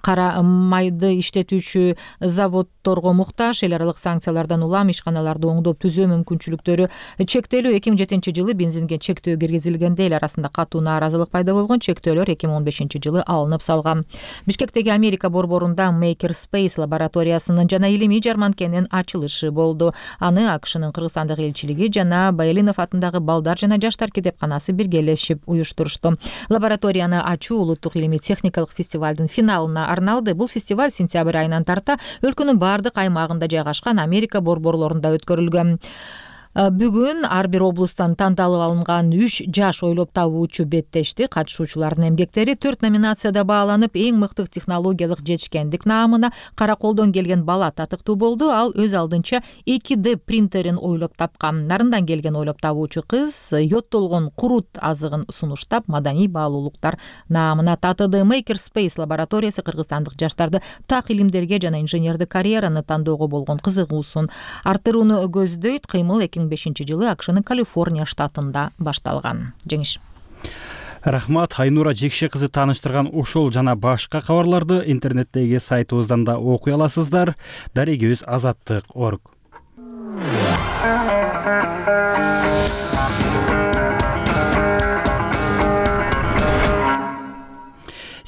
кара майды иштетүүчү заводдорго муктаж. Эл аралык санкциялардан улам ишканаларды оңдоп түзөө мүмкүнчүлүктөрү чектелүү. 2007-жылы бензинге чектөө киргизилгенде эл арасында катуу нааразылык пайда болгон. Чектөөлөр 2015-жылы алынып салган. Бишкектеги Америка борборунда Maker Space лабораториясынын жана илимий жарманкенин ачылышы болду. Аны АКШнын Кыргызстандагы элчилиги жана Байлинов атындагы балдар жана жаштар китепканасы биргелешип уюштурушту. Лабораторияны ачуу улуттук илимий техникалык фестивалдын финалына арналды. Бул фестиваль сентябрь айынан тарта өлкөнүн баардык аймагында жайгашкан Америка борборлорунда өткөрүлгөн. Бүгүн ар бир облустан тандалып алынган 3 жаш ойлоп табуучу беттешти. Катышуучулардын эмгектери 4 номинацияда бааланып, эң мыкты технологиялык жетишкендик наамына Караколдон келген бала татыктуу болду. Ал өз алдынча 2D принтерин ойлоп тапкан. Нарындан келген ойлоп табуучу кыз йоттолгон курут азыгын сунуштап, маданий баалуулуктар наамына татыды. Maker Space лабораториясы кыргызстандык жаштарды так илимдерге жана инженердик карьераны тандоого болгон кызыгуусун арттырууну көздөйт. Кыймыл 2005-жылы АКШнын Калифорния штатында башталган. Жеңиш. Рахмат. Айнура Жекше кызы тааныштырган ушул жана башка кабарларды интернеттеги сайтыбыздан да окуй аласыздар. Дарегибиз azatlyk.org.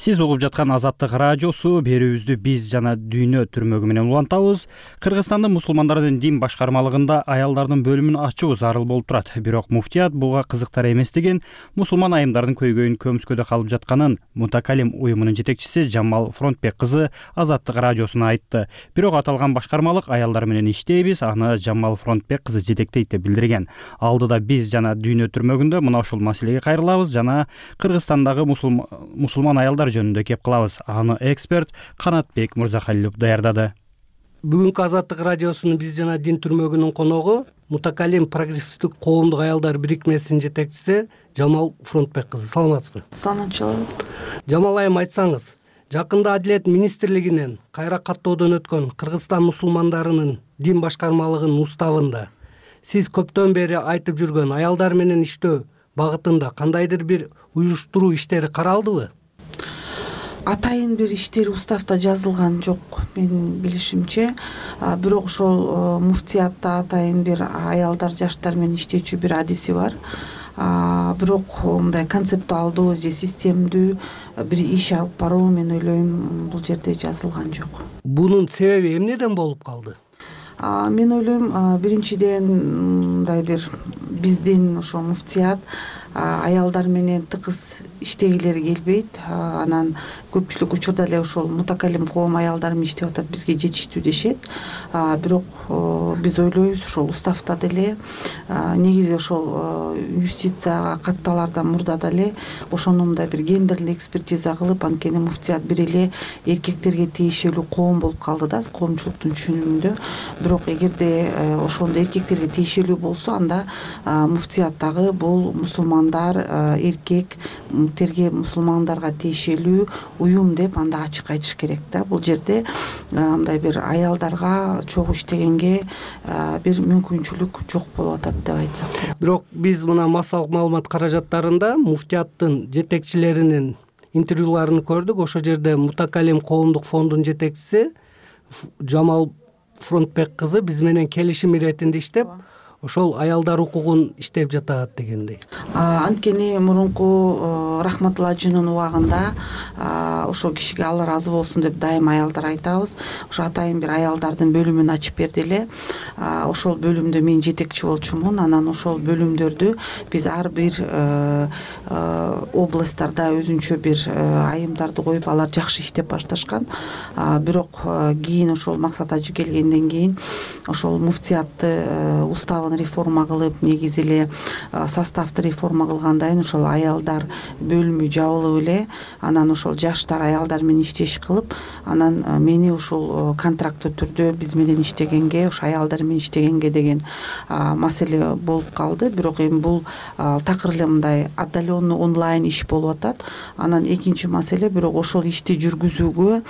Сиз угуп жаткан Азаттык радиосу. Берүүбүздү биз жана дүйнө түрмөгү менен улантабыз. Кыргызстандын мусулмандардын дин башкармалыгында аялдардын бөлүмүн ачуу зарыл болуп турат. Бирок муфтият буга кызыктар эмес деген, мусулман айымдардын көйгөйүн көмүскөдө калып жатканын Мутакалим уюмунун жетекчиси Жамал Фронтбек кызы Азаттык радиосуна айтты. Бирок аталган башкармалык аялдар менен иштейбиз, аны Жамал Фронтбек кызы жетектейт деп билдирген. Алдыда биз жана дүйнө түрмөгүндө мына ушул маселеге кайрылабыз жана Кыргызстандагы мусулман аялдар жөнүндө кеп кылабыз. Аны эксперт Канатбек Мырзахалилов даярдады. Бүгүнкү Азаттык радиосунун биз жана дин түрмөгүнүн коногу Мутакалим прогрессивдик коомдук аялдар бирикмесинин жетекчиси Жамал Фронтбек кызы. Саламатсызбы? Саламатчылык. Жамал айым, айтсаңыз, жакында Адилет министрлигинен кайра каттоодон өткөн Кыргызстан мусулмандарынын дин башкармалыгынын уставында сиз көптөн бери айтып жүргөн аялдар менен иштөө багытында кандайдыр бир уюштуруу иштери каралдыбы? Атайын бир иштери уставда жазылган жок менин билишимче. Бирок ошол муфтиятта атайын бир аялдар, жаштар менен иштечү бир адиси бар. Бирок мындай концептуалдуу же системдүү бир иш алып баруу, мен ойлойм, бул жерде жазылган жок. Бунун себеби эмнеден болуп калды? Мен ойлойм, биринчиден мындай бир биздин ошо муфтият аялдар менен тыкыз иштегилери келбейт. Анан көпчүлүк учурда эле ошол мутакалим коом аялдар менен иштеп атат, бизге жетиштүү дешет. Бирок биз ойлойбуз ошол уставда деле негизи ошол юстицияга катталардан мурда деле ошондо мындай бир гендерлик экспертиза кылып, анткени муфтият бир эле эркектерге тиешелүү коом болуп калды да коомчулуктун түшүнүгүндө. Бирок эгерде ошондо эркектерге тиешелүү болсо, анда муфтияттагы бул мусулмандар, эркектерге мусулмандарга тиешелүү уюм деп анда ачык айтыш керек да. Бул жерде мындай бир аялдарга чогуу иштегенге бир мүмкүнчүлүк жок болуп атат деп айтсак болот. Бирок биз мына массалык маалымат каражаттарында муфтияттын жетекчилеринин интервьюларын көрдүк. Ошол жерде Мутакалим коомдук фондунун жетекчиси Жамал Фронтбек кызы биз менен келишим иретинде иштеп, ошол аялдар укугун иштеп жатат дегендей. Анткени мурунку Рахматулла ажынын убагында ошол кишиге Алла ыраазы болсун деп дайым аялдар айтабыз. Ошо атайын бир аялдардын бөлүмүн ачып берди эле. Ошол бөлүмдө мен жетекчи болчумун. Анан ошол бөлүмдөрдү биз ар бир областтарда өзүнчө бир айымдарды коюп, алар жакшы иштеп башташкан. Бирок кийин ошол Максат ажы келгенден кийин ошол муфтиятты уставын реформа кылып, негизи эле составты реформа кылгандан ошол аялдар бөлүмү жабылып эле, анан ошол жаштар аялдар менен иштеш кылып, анан мени ушул контракттуу түрдө биз менен иштегенге, ошо аялдар менен иштегенге деген маселе болуп калды. Бирок эми бул такыр эле мындай отдаленный онлайн иш болуп атат. Анан экинчи маселе, бирок ошол ишти жүргүзүүгө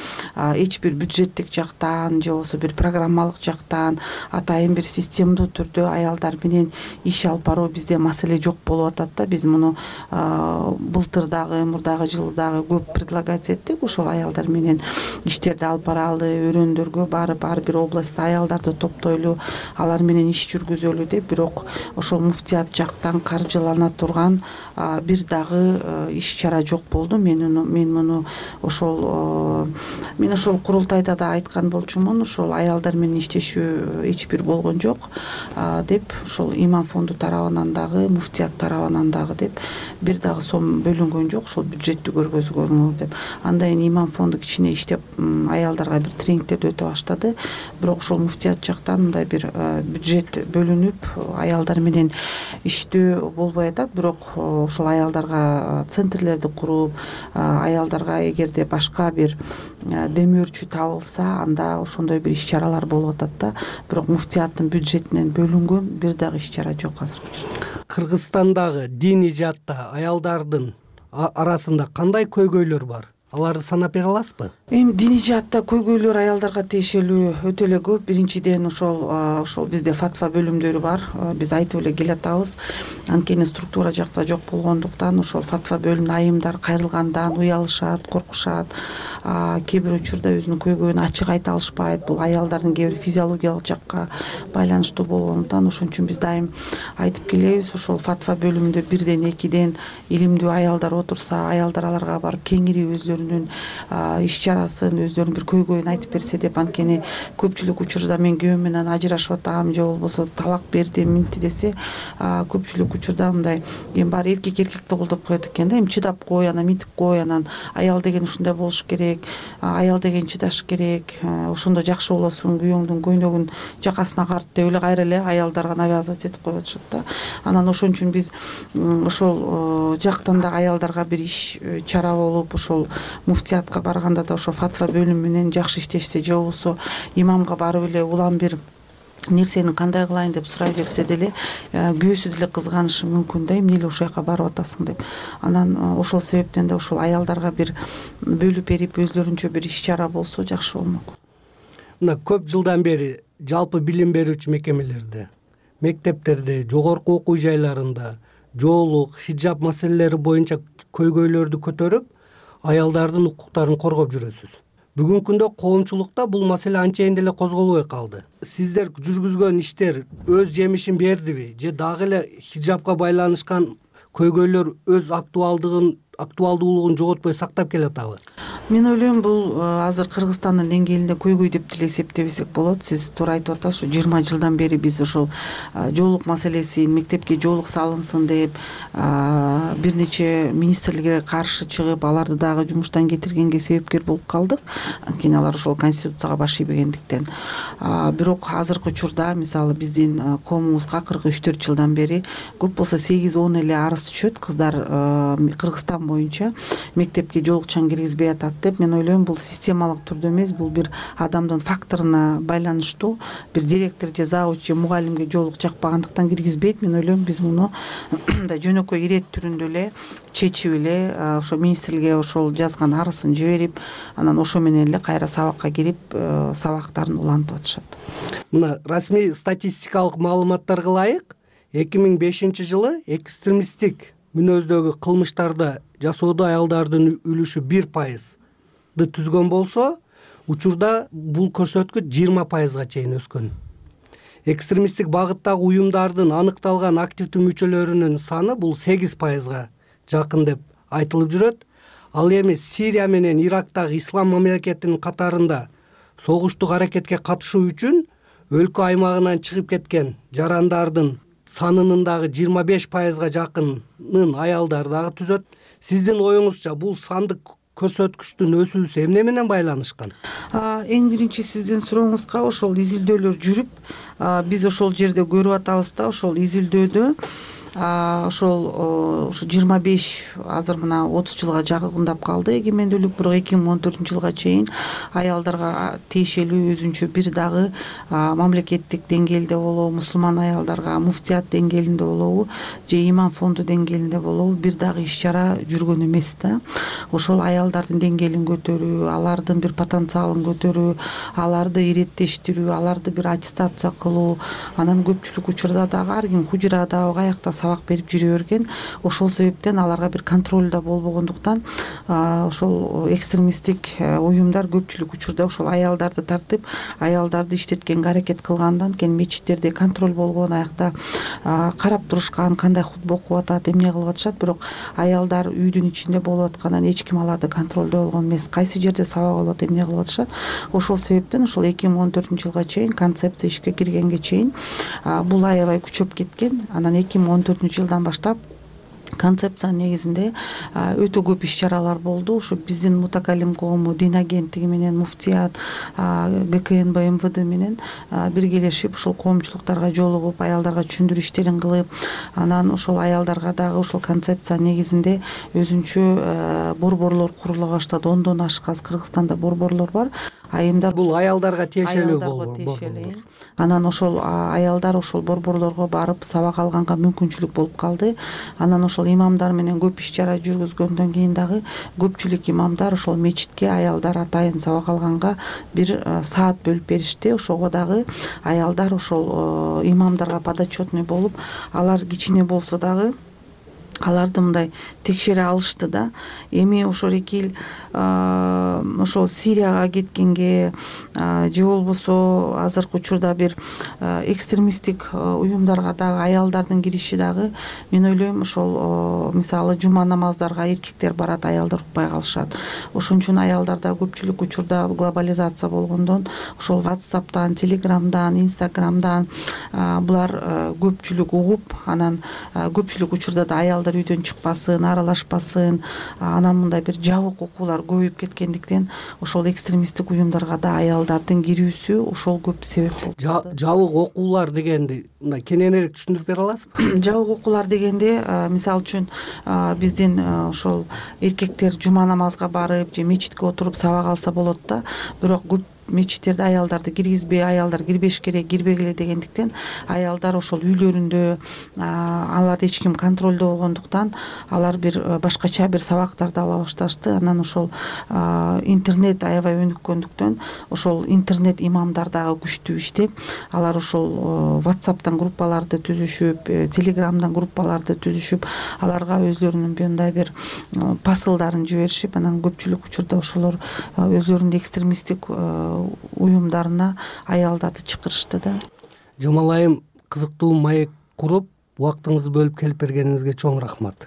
эч бир бюджеттик жактан же болбосо бир программалык жактан атайын бир системдүү түрдө аялдар менен иш алып баруу бизде маселе жок болуп атат да. Биз муну былтыр дагы, мурдагы жылы дагы көп предлагать эттик. Ошол аялдар менен иштерди алып баралы, өрөөндөргө барып, ар бир областта аялдарды топтойлу, алар менен иш жүргүзөлү деп. Бирок ошол муфтият жактан каржылана турган бир дагы иш чара жок болду. Мен муну ошол курултайда да айткан болчумун. Ошол аялдар менен иштешүү эч бир болгон жок деп, ошол имам фонду тарабынан дагы, муфтият тарабынан дагы деп бир дагы сом бөлүнгөн жок, ошол бюджеттү көргөзгөнгө деп. Андан кийин имам фонду кичине иштеп аялдарга бир тренингтерди өтө баштады. Бирок ошол муфтият жактан мындай бир бюджет бөлүнүп, аялдар менен иштөө болбой атат. Бирок ошол аялдарга центрлерди куруп, аялдарга эгерде башка бир демөөрчү табылса, анда ошондой бир иш чаралар болуп атат да. Бирок муфтияттын бюджетинен бөлүнгөн бир дагы иш чара жок азыркыча. Кыргызстандагы диний жаатта аялдардын арасында кандай көйгөйлөр бар? Аларды санап бере аласызбы? Эми диний жаатта көйгөйлөр аялдарга тиешелүү өтө эле көп. Биринчиден ошол бизде фатва бөлүмдөрү бар. Биз айтып эле келатабыз. Анткени структура жакта жок болгондуктан ошол фатва бөлүмүнө айымдар кайрылгандан уялышат, коркушат. Кээ бир учурда өзүнүн көйгөйүн ачык айта алышпайт. Бул аялдардын кээ бир физиологиялык жакка байланыштуу болгондуктан ошон үчүн биз дайым айтып келебиз. Ошол фатва бөлүмүндө бирден, экиден илимдүү аялдар отурса, аялдар аларга барып кеңири өздөрүнүн иш чарасын, өздөрүнүн бир көйгөйүн айтып берсе деп. Анткени көпчүлүк учурда мен күйөөм менен ажырашып атам же болбосо талак берди, минти десе, көпчүлүк учурда мындай эми баары эркекти колдоп коет экен да. Эми чыдап кой, анан минтип кой, анан аял деген ушундай болуш керек, аял деген чыдаш керек, ошондо жакшы болосуң, күйөөңдүн көйнөгүн жакасына карт деп эле кайра эле аялдарга навязывать этип коюп атышат да. Анан ошон үчүн биз ошол жактан да аялдарга бир иш чара болуп, ошол муфтиятка барганда да ошо фатва бөлүмү менен жакшы иштешсе, же болбосо имамга барып эле улам бир нерсени кандай кылайын деп сурай берсе деле, күйөөсү деле кызганышы мүмкүн да, эмне эле ошол жака барып атасың деп. Анан ошол себептен да ошол аялдарга бир бөлүп берип, өзлөрүнчө бир иш чара болсо жакшы болмок. Мына көп жылдан бери жалпы билим берүүчү мекемелерде, мектептерде, жогорку окуу жайларында жоолук, хиджаб маселелери боюнча көйгөйлөрдү көтөрүп, аялдардын укуктарын коргоп жүрөсүз. Бүгүнкү күндө коомчулукта бул маселе анчайын деле козголбой калды. Сиздер жүргүзгөн иштер өз жемишин бердиби, же дагы эле хиджабка байланышкан көйгөйлөр өз актуалдуулугун жоготпой сактап келатабы? мен ойлойм бул азыр Кыргызстандын деңгээлинде көйгөй деп деле эсептебесек болот. Сиз туура айтып атасыз, 20 жылдан бери биз ошол жоолук маселесин, мектепке жоолук салынсын деп бир нече министрликке каршы чыгып, аларды дагы жумуштан кетиргенге себепкер болуп калдык. Анткени алар ошол конституцияга баш ийбегендиктен. Бирок азыркы учурда мисалы биздин коомубузга 43-4 жылдан бери көп болсо 8-10 эле арыз түшөт. Кыздар Кыргызстан боюнча мектепке жоолукчан киргизбей атат деп. Мен ойлойм бул системалык түрдө эмес, бул бир адамдын факторуна байланыштуу. Бир директор же завуч же мугалимге жоолук жакпагандыктан киргизбейт. Мен ойлойм биз муну мындай жөнөкөй ирет түрүндө эле чечип эле ошо министрликке ошол жазган арызын жиберип, анан ошо менен эле кайра сабакка кирип сабактарын улантып атышат. Мына расмий статистикалык маалыматтарга ылайык 2005 жылы экстремисттик мүнөздөгү кылмыштарды жасоодо аялдардын үлүшү 1%ды түзгөн болсо, учурда бул көрсөткүч 20%га чейин өскөн. Экстремисттик багыттагы уюмдардын аныкталган активдүү мүчөлөрүнүн саны бул 8%га жакын деп айтылып жүрөт. Ал эми Сирия менен Ирактагы ислам мамлекетинин катарында согуштук аракетке катышуу үчүн өлкө аймагынан чыгып кеткен жарандардын санынын дагы 25%га жакынын аялдар дагы түзөт. Сиздин оюңузча бул сандык көрсөткүчтүн өсүүсү эмне менен байланышкан? Эң биринчи сиздин сурооңузга ошол изилдөөлөр жүрүп, биз ошол жерде көрүп атабыз да, ошол изилдөөдө ошол 25 азыр мына 30 жылга жакындап калды эгемендүүлүк. Бирок 2014 жылга чейин аялдарга тиешелүү өзүнчө бир дагы мамлекеттик деңгээлде болобу, мусулман аялдарга муфтият деңгээлинде болобу же имам фонду деңгээлинде болобу бир дагы иш чара жүргөн эмес да. Ошол аялдардын деңгээлин көтөрүү, алардын бир потенциалын көтөрүү, аларды иреттештирүү, аларды бир аттестация кылуу, анан көпчүлүк учурда дагы ар ким хужурада каякта сабак берип жүрө берген. Ошол себептен аларга бир контроль да болбогондуктан ошол экстремисттик уюмдар көпчүлүк учурда ошол аялдарды тартып, аялдарды иштеткенге аракет кылгандан кийин мечиттерде контроль болгон, аякта карап турушкан, кандай хутба окуп атат, эмне кылып атышат. Бирок аялдар үйдүн ичинде болуп аткандан эч ким аларды контролдой болгон эмес. Кайсы жерде сабак алып, эмне кылып атышат. Ошол себептен ошол 2014 жылга чейин концепция ишке киргенге чейин бул аябай күчөп кеткен. Анан 2014 жылдан баштап концепциянын негизинде өтө көп иш чаралар болду. Ушу биздин мутакалим коому, дин агенттиги менен, муфтият, ГКНБ, МВД менен биргелешип ушул коомчулуктарга жолугуп, аялдарга түшүндүрүү иштерин кылып, анан ошол аялдарга дагы ошол концепциянын негизинде өзүнчө борборлор курула баштады. 10дон ашык Кыргызстанда борборлор бар. Айымдар бул аялдарга тиешелүү болду. Анан ошол аялдар ошол борборлорго барып сабак алганга мүмкүнчүлүк болуп калды. Анан ошол имамдар менен көп иш чара жүргүзгөндөн кийин дагы көпчүлүк имамдар ошол мечитке аялдар атайын сабак алганга бир саат бөлүп беришти. Ошого дагы аялдар ошол имамдарга подотчетный болуп, алар кичине болсо дагы аларды мындай текшере алышты да. Эми ошол эки ошол Сирияга кеткенге же болбосо азыркы учурда бир экстремисттик уюмдарга дагы аялдардын кириши дагы, мен ойлойм ошол мисалы жума намаздарга эркектер барат, аялдар укпай калышат. Ошон үчүн аялдарда көпчүлүк учурда глобализация болгондон ошол WhatsApp'тан, Telegram'дан, Instagram'дан булар көпчүлүк угуп, анан көпчүлүк учурда да аялдар үйдөн чыкпасын, аралашпасын, анан мындай бир жабык окуулар көбөйүп кеткендиктен ошол экстремисттик уюмдарга да аялдардын кирүүсү ошол көп себеп болуп калды. Жабык окуулар дегенди мындай кененирээк түшүндүрүп бере аласызбы? Жабык окуулар дегенде мисалы үчүн биздин ошол эркектер жума намазга барып же мечитке отуруп сабак алса болот да, бирок көп мечиттерде аялдарды киргизбей, аялдар кирбеш керек, кирбегиле дегендиктен аялдар ошол үйлөрүндө аларды эч ким контролдобогондуктан алар бир башкача бир сабактарды ала башташты. Анан ошол интернет аябай өнүккөндүктөн ошол интернет имамдар дагы күчтүү иштеп, алар ошол WhatsApp'тан группаларды түзүшүп, Telegram'дан группаларды түзүшүп, аларга өзлөрүнүн мындай бир посылдарын жиберишип, анан көпчүлүк учурда ошолор өзлөрүнүн экстремисттик уюмдарына аялдарды чакырышты да. Жамал кызыктуу маек куруп убактыңызды бөлүп келип бергениңизге чоң рахмат.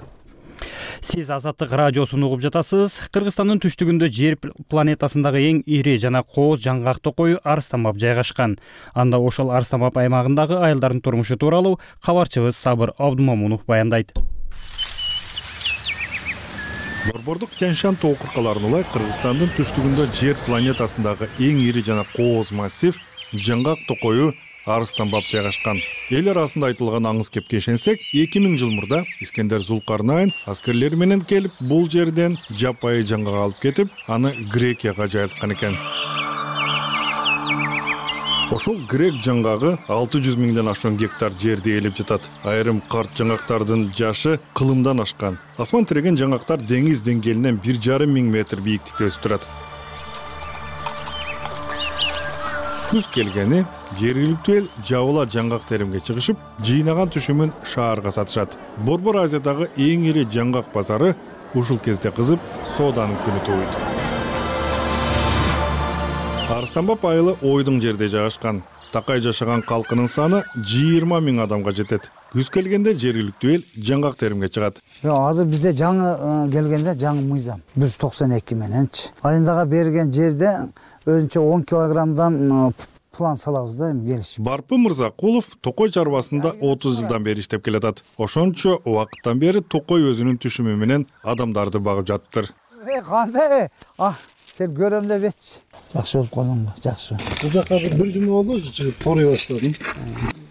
Сиз Азаттык радиосун угуп жатасыз. Кыргызстандын түштүгүндө жер планетасындагы эң ири жана кооз жаңгак токою Арыстанбап жайгашкан. Анда ошол Арыстанбап аймагындагы айылдардын турмушу тууралуу кабарчыбыз Сабыр Абдумомунов баяндайт. Борбордук Тянь-Шань тоо кыркаларына улай Кыргызстандын түштүгүндө жер планетасындагы эң ири жана кооз массив жаңгак токою Арыстанбап жайгашкан. Эл арасында айтылган аңыз кепке ишенсек, 2000 жыл мурда Искендер Зулкарнайн аскерлери менен келип бул жерден жапайы жаңгак алып кетип, аны Грекияга жайылткан экен. Ошол грек жаңгагы 600 миңден ашуун гектар жерди ээлеп жатат. Айрым карт жаңгактардын жашы кылымдан ашкан. Асман тиреген жаңгактар деңиз деңгээлинен 1,5 миң метр бийиктикте өсүп турат. Күз келгени жергиликтүү эл жабыла жаңгак теримге чыгышып, жыйнаган түшүмүн шаарга сатышат. Борбор Азиядагы эң ири жаңгак базары ушул кезде кызып, сооданын күнү тууйт. Арыстанбап айылы ойдуң жерде жайгашкан. Такай жашаган калкынын саны 20 миң адамга жетет. Күз келгенде жергиликтүү эл жаңгак теримге чыгат. Азыр бизде жаңы келгенде жаңы мыйзам 192 мененчи. Арендага берген жерде өзүнчө 10 килограммдан план салабыз да эми келиш. Барпы Мырзакулов Токой чарбасында 30 жылдан бери иштеп келатат. Ошончо убакыттан бери Токой өзүнүн түшүмү менен адамдарды багып жатыптыр. Кандай? Сен көрөм дебечи. Жакшы болуп калдыңбы? Жакшы. Бул жака бир жума болду, чыгып торой баштадым.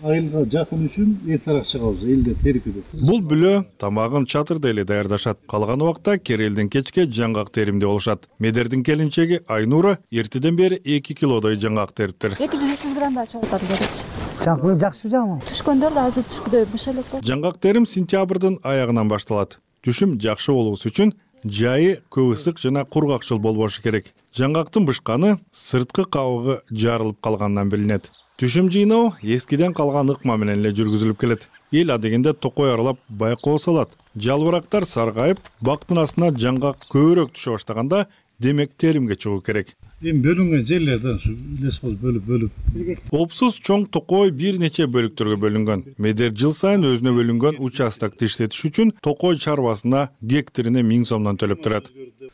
Айылга жакын үчүн эртерээк чыгабыз, элдер терикиде. Бул бүлө тамагын чатырда эле даярдашат. Калган убакта керелден кечке жаңгак теримде болушат. Медердин келинчеги Айнура эртеден бери 2 килодой жаңгак териптир. 200 граммдай чогултат берет. Жаңгак жакшы жамы. Түшкөндөр да азыр түшкүдөй быш элек болот. Жаңгак терим сентябрдын аягынан башталат. Түшүм жакшы болуусу үчүн жайы көп ысык жана кургакчыл болбошу керек. Жаңгактын бышканы сырткы кабыгы жарылып калгандан билинет. Түшүм жыйноо эскиден калган ыкма менен эле жүргүзүлүп келет. Эл адегенде Токой аралап байкоо салат. Жалбырактар саргайып, бактын астына жаңгак көбүрөөк түшө баштаганда, демек теримге чыгуу керек. Эми бөлүнгөн жерлерден лесхоз бөлүп. Опсуз чоң Токой бир нече бөлүктөргө бөлүнгөн. Медер жыл сайын өзүнө бөлүнгөн участокты иштетиш үчүн Токой чарбасына гектарине 1000 сомдон төлөп турат.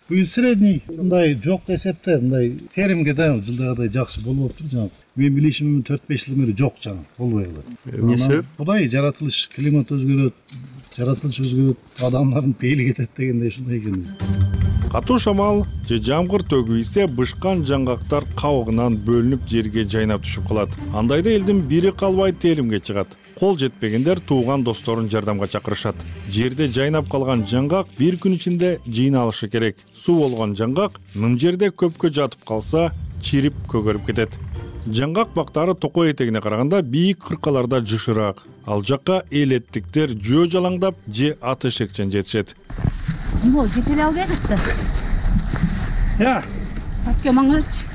Бул средний мындай жок эсепте, мындай теримге да жылдагыдай жакшы болуп атыптыр жаңы. Мен билишимден 4-5 жыл бери жок жаңы, болбой калды. Эмне себеп? Кудай жаратылыш, климат өзгөрөт, жаратылыш өзгөрөт, адамдардын пейили кетет дегендей ушундай экен. Катуу шамал же жамгыр төгүйсе бышкан жаңгактар кабыгынан бөлүнүп жерге жайнап түшүп калат. Андайда элдин бири калбай теримге чыгат. Кол жетпегендер тууган досторун жардамга чакырышат. Жерде жайнап калган жаңгак бир күн ичинде жыйналышы керек. Суу болгон жаңгак ным жерде көпкө жатып калса, чирип көгөрүп кетет. Жаңгак бактары Токой этегине караганда бийик кыркаларда жышыраак. Ал жакка элеттиктер жөө жалаңдап же ат эшекчен жетишет. Мо, жетеле албайдык да. Я. Атке маңырчы.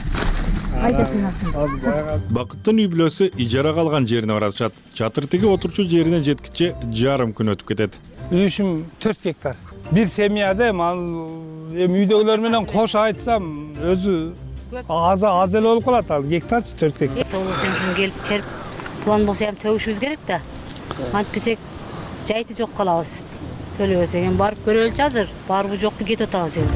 Айда сен атсын. Бакыттын үй бүлөсү ижарага алган жерине барышат. Чатыр тиги отурчу жерине жеткиче жарым күн өтүп кетет. Үйүшүм 4 гектар. Бир семьяда эми үйдөгүлөр менен кош айтсам өзү аз эле болуп калат, ал гектарчы 4 гектар. Солосем үчүн келип терип, план болсо эми төгүшүбүз керек да. Антпесек жайты жок калабыз. Төлөбөсөк эми барып көрөлүчү азыр, барбы жокпу кетип атабыз эми.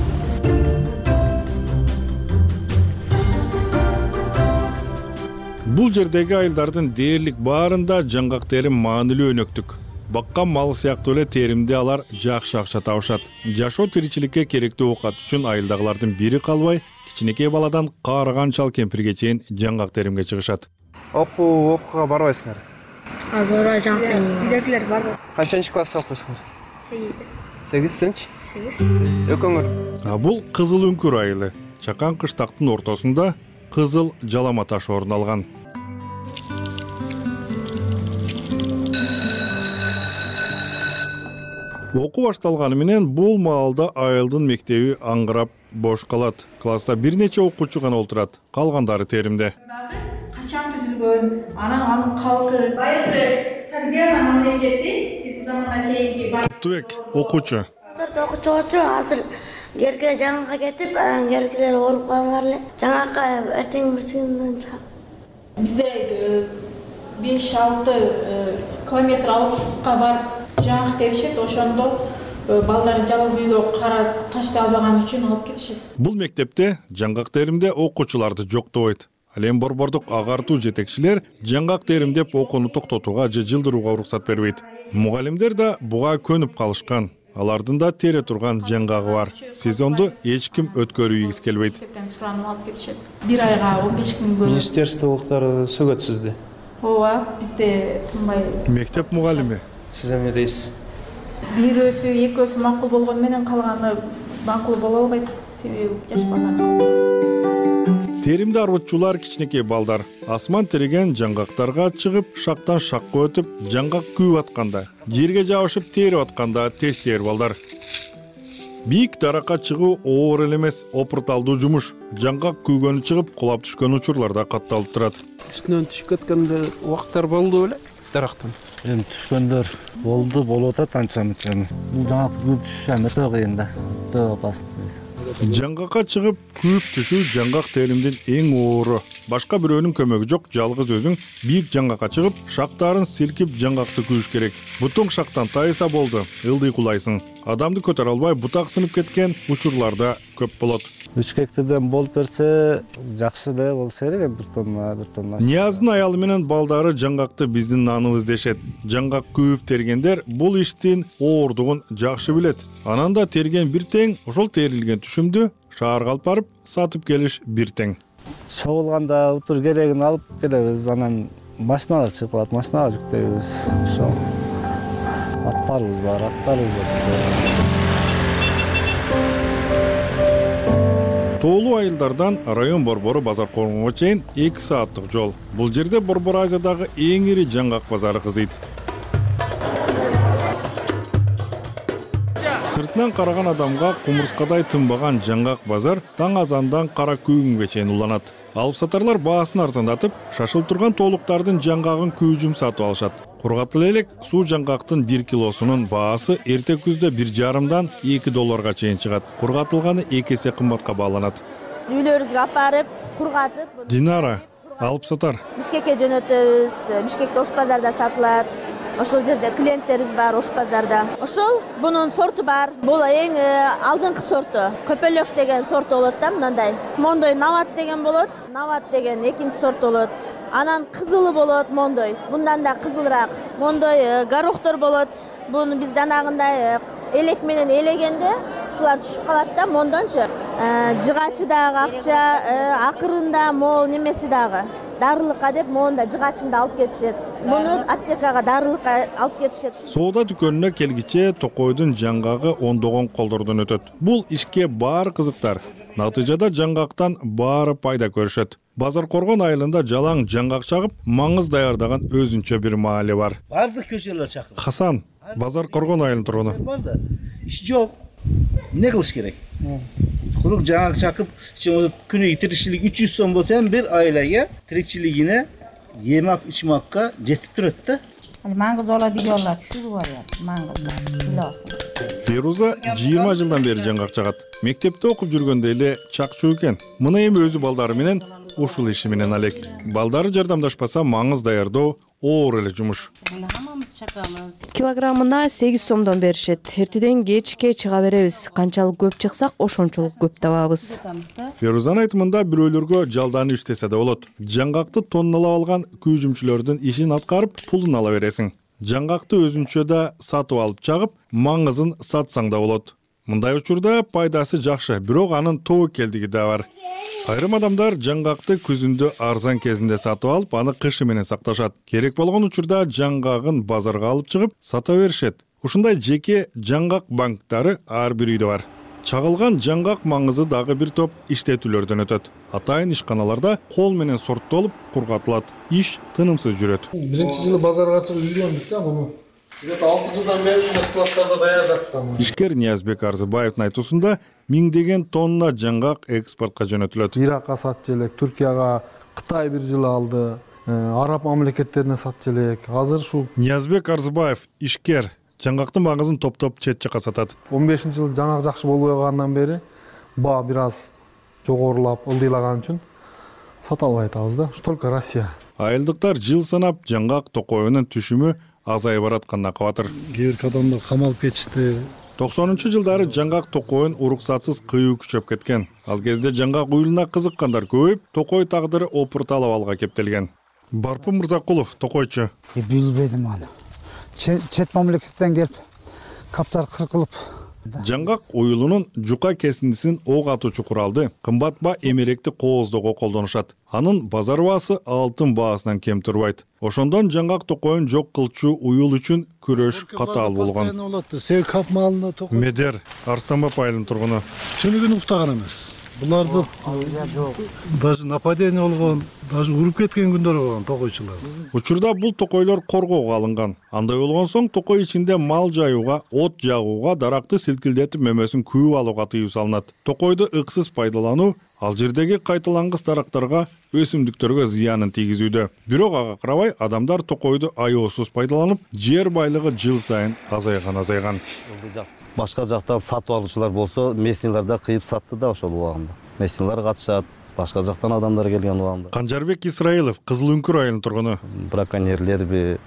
Бул жердеги айылдардын дээрлик баарында жаңгак терим маанилүү өнөктүк. Баккан мал сыяктуу эле теримде алар жакшы акча табышат. Жашоо тиричиликке керектүү оокат үчүн айылдагылардын бири калбай, кичинекей баладан каарыган чал кемпирге чейин жаңгак теримге чыгышат. Окууга барбайсыңар? Азыр жаңгак үйдөгүлөр барбы? Канчанчы класста окуйсуңар? 8. 8 сенчи? 8. Экөөңөр? Бул Кызыл Үңкүр айылы. Чакан кыштактын ортосунда кызыл жалама таш орун алган. Окуу башталганы менен бул маалда айылдын мектеби аңгырап бош калат. Класста бир нече окуучу гана отурат, калгандары теримде. Качан түзүлгөн, анын калкы, байыркы Сагдиана мамлекети биз заманга чейинки Куттубек окуучу. Окуучу азыр жерге жаңгакка кетип, жеркилер ооруп калгандар эле. Жаңгакка эртең бирсинден чыгат. Бизде 5-6 километр алыскка барып жаңгак теришет, ошондо балдарын жалгыз үйдө кара таштай албаган үчүн алып кетишет. Бул мектепте жаңгак теримде окуучуларды жоктобойт. Ал эми борбордук агартуу жетекчилер жаңгак теримдеп окууну токтотууга же жылдырууга уруксат бербейт. Мугалимдер да буга көнүп калышкан. Алардын да тере турган жаңгагы бар. Сезонду эч ким өткөрүүгүс келбейт. Суранып алып кетишет. Бир айга 15 күн бөлүп. Министрлыктар сөгөт сизди. Ооба, бизде тынбай. Мектеп мугалими. Сиз эмне дейсиз? Бирөөсү, экөөсү макул болгону менен калганы макул боло албайт. Себеби жаш балдар. Теримде арбытчулар кичинекей балдар асман тереген жаңгактарга чыгып, шактан шакка өтүп, жаңгак күйүп атканда, жерге жабышып терип атканда тез тээр балдар. Бийик даракка чыгуу оор эле эмес, опурталдуу жумуш. Жаңгак күйгөнү чыгып, кулап түшкөн учурларда катталып турат. Үстүнөн түшүп кеткенде убактар болду беле дарактан? Эми түшкөндөр болуп атат анча-мынча. Бул жаңгак күйүп түшүш өтө кыйын да. Өтө опасно. Жаңгакка чыгып күйүп түшүү жаңгак теримдин эң оору. Башка бирөөнүн көмөгү жок, жалгыз өзүң бийик жаңгакка чыгып, шактарын силкип жаңгакты күйүш керек. Бутуң шактан тайса болду, ылдый кулайсың. Адамды көтөрө албай бутак сынып кеткен учурларда көп болот. 3 гектардан болуп берсе, жакшы да болсо керек, бир тонна. Нияздын аялы менен балдары жаңгакты биздин наныбыз дешет. Жаңгак күйүп тергендер бул иштин оордугун жакшы билет. Анан да терген бир тең, ошол терилген түшүмдү шаарга алып барып сатып келиш бир тең. Чогулганда утур керегин алып келебиз, анан машиналар чыгып калат, машинага жүктөйбүз. Ошо аттарыбыз бар. Тоолуу айылдардан район борбору базар коргонго чейин 2 сааттык жол. Бул жерде Борбор Азиядагы эң ири жаңгак базары кызыйт. Сыртынан караган адамга кумурскадай тынбаган жаңгак базар таң азандан кара күйүнгө чейин уланат. Алып сатарлар баасын арзандатып, шашылып турган тоолуктардын жаңгагын күйүүжүм сатып алышат. Кургатыл элек суу жаңгактын 1 килосунун баасы эрте күздө 1,5-дан 2 долларга чейин чыгат. Кургатылганы 2 эсе кымбатка бааланат. Үйлөрүбүзгө алып барып, кургатып. Динара, алып сатар. Бишкекке жөнөтөбүз. Бишкекте Ош базарда сатылат. Ошол жерде клиенттерибиз бар Ош базарда. Ошол бунун сорту бар. Бул эң алдыңкы сорту. Көпөлөк деген сорт болот да, мындай. Мондой Нават деген болот. Нават деген экинчи сорт болот. Анан кызылы болот мондой. Мындан да кызылыраак. Мондой горохтор болот. Буну биз жанагындай элек менен элегенде ушулар түшүп калат да, мондончу. Жыгачы дагы акча, акырында мол немеси дагы. Дарылыкка деп монда жыгачында алып кетишет. Муну аптекага дарылыкка алып кетишет. Соода дүкөнүнө келгиче токойдун жаңгагы ондогон колдордон өтөт. Бул ишке баары кызыктар. Натыйжада жаңгактан баары пайда көрүшөт. Базар Коргон айылында жалаң жаңгак чагып, маңыз даярдаган өзүнчө бир маале бар. Бардык көчөлөр чакыр. Хасан, Базар Коргон айылынын тургуну. Бар да. Иш жок. Эмне кылыш керек? Курук жаңгак чакып, күнү тиричилик 300 сом болсо ham бир айлага тиричилигине емак ичмакка жетип турат да. Маңыз ола дегенлер түшүрүп алат. Маңыз биласың. Феруза 20 жылдан бери жаңгак чагат. Мектепте окуп жүргөндө эле чакчуу экен. Мына эми өзү балдары менен ушул иши менен алек. Балдары жардамдашпаса маңыз даярдоо оор эле жумуш. Килограммына 8 сомдон беришет. Эртеден кечке чыга беребиз. Канчалык көп чыксак, ошончолук көп табабыз. Ферузанын айтымында бирөөлөргө жалданып иштесе да болот. Жаңгакты тонналап алган күйүүчүлөрдүн ишин аткарып, пулун ала бересиң. Жаңгакты өзүнчө да сатып алып чагып, маңызын сатсаң да болот. Мындай учурда пайдасы жакшы, бирок анын тобокелдиги да бар. Айрым адамдар жаңгакты күзүндө арзан кезинде сатып алып, аны кышы менен сакташат. Керек болгон учурда жаңгагын базарга алып чыгып, сата беришет. Ушундай жеке жаңгак банктары ар бир үйдө бар. Чагылган жаңгак маңызы дагы бир топ иштетүүлөрдөн өтөт. Атайын ишканаларда кол менен сорттолуп, кургатылат. Иш тынымсыз жүрөт. Биринчи жылы базарга чыгып үйрөндүк да буну. 6 жылдан бери ушул складтарда даярдаттым. Ишкер Ниязбек Арзыбаевдин айтуусунда миңдеген тонна жаңгак экспортко жөнөтүлөт. Иракка сатчу элек, Түркияга, Кытай бир жылы алды, араб мамлекеттерине сатчу элек. Азыр ушул Ниязбек Арзыбаев ишкер жаңгактын маңызын топтоп чет жакка сатат. 15-жылы жаңгак жакшы болбой калгандан бери баа бир аз жогорулап, ылдыйлаган үчүн сата албай атабыз да. Ушу только Россия. Айылдыктар жыл санап жаңгак токоюнун түшүмү азайып баратканына кабатыр. Кээ бир адамдар камалып кетишти, 90-жылдары жаңгак токойун уруксатсыз кыюу күчөп кеткен. Ал кезде жаңгак уюлуна кызыккандар көбөйүп, токой тагдыры опурталып алга кептелген. Барпын Мырзакулов, токойчу. Билбедим аны. Чет мамлекеттен келип, каптар кыркылып. Жаңгак уюлунун жука кесиндисин ок атуучу куралды кымбат эмеректи кооздоого колдонушат. Анын базар баасы алтын баасынан кем турбайт. Ошондон жаңгак токойун жок кылчу уюл үчүн күрөш катаал болгон. Сел кап малына токой. Медер, Арстанбап айылынын тургуну. Түнү күнү уктаган эмес. Буларды даже нападение болгон, даже уруп кеткен күндөр болгон токойчулар. Учурда бул токойлор коргоого алынган. Андай болгон соң токой ичинде мал жаюуга, от жагууга, даракты силкилдетип мөмөсүн күйүп алууга тыюу салынат. Токойду ыксыз пайдалануу ал жердеги кайталангыс дарактарга, өсүмдүктөргө зыянын тийгизүүдө. Бирок ага карабай адамдар токойду аеосуз пайдаланып, жер байлыгы жыл сайын азайган. Башка жактан сатып алуучулар болсо, местнийлерде кыйып сатты да ошол убагында. Местнийлер катышат, башка жактан адамдар келген убагында. Канжарбек Исраилов, Кызыл Үңкүр айылынын тургуну. Браконьерлерби,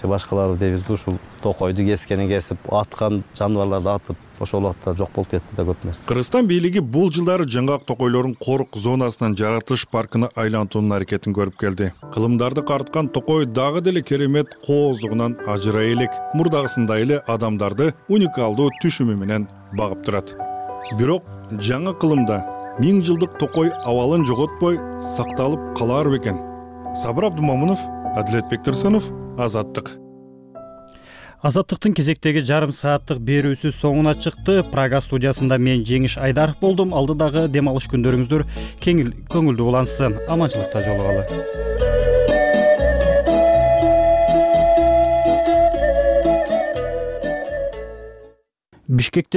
же башкалары дейбизби, ушул токойду кескенин кесип, аткан жаныбарларды атып, ошол убакта жок болуп кетти да көп нерсе. Кыргызстан бийлиги бул жылдары жаңгак токойлорун корук зонасынан жаратылыш паркына айлантуунун аракетин көрүп келди. Кылымдарды карыткан токой дагы деле керемет кооздугунан ажырай элек. Мурдагысындай эле адамдарды уникалдуу түшүмү менен багып турат. Бирок жаңы кылымда 1000 жылдык токой абалын жоготпой сакталып калар бекен? Сабыр Абдумамунов, Адилет Бектурсунов, Азаттык. Азаттыктын кезектеги жарым сааттык берүүсү соңуна чыкты. Прага студиясында мен Жеңиш Айдаров болдум. Алдыдагы дем алыш күндөрүңүздөр көңүлдүү улансын. Аманчылыкта жолугалы. Бишкекте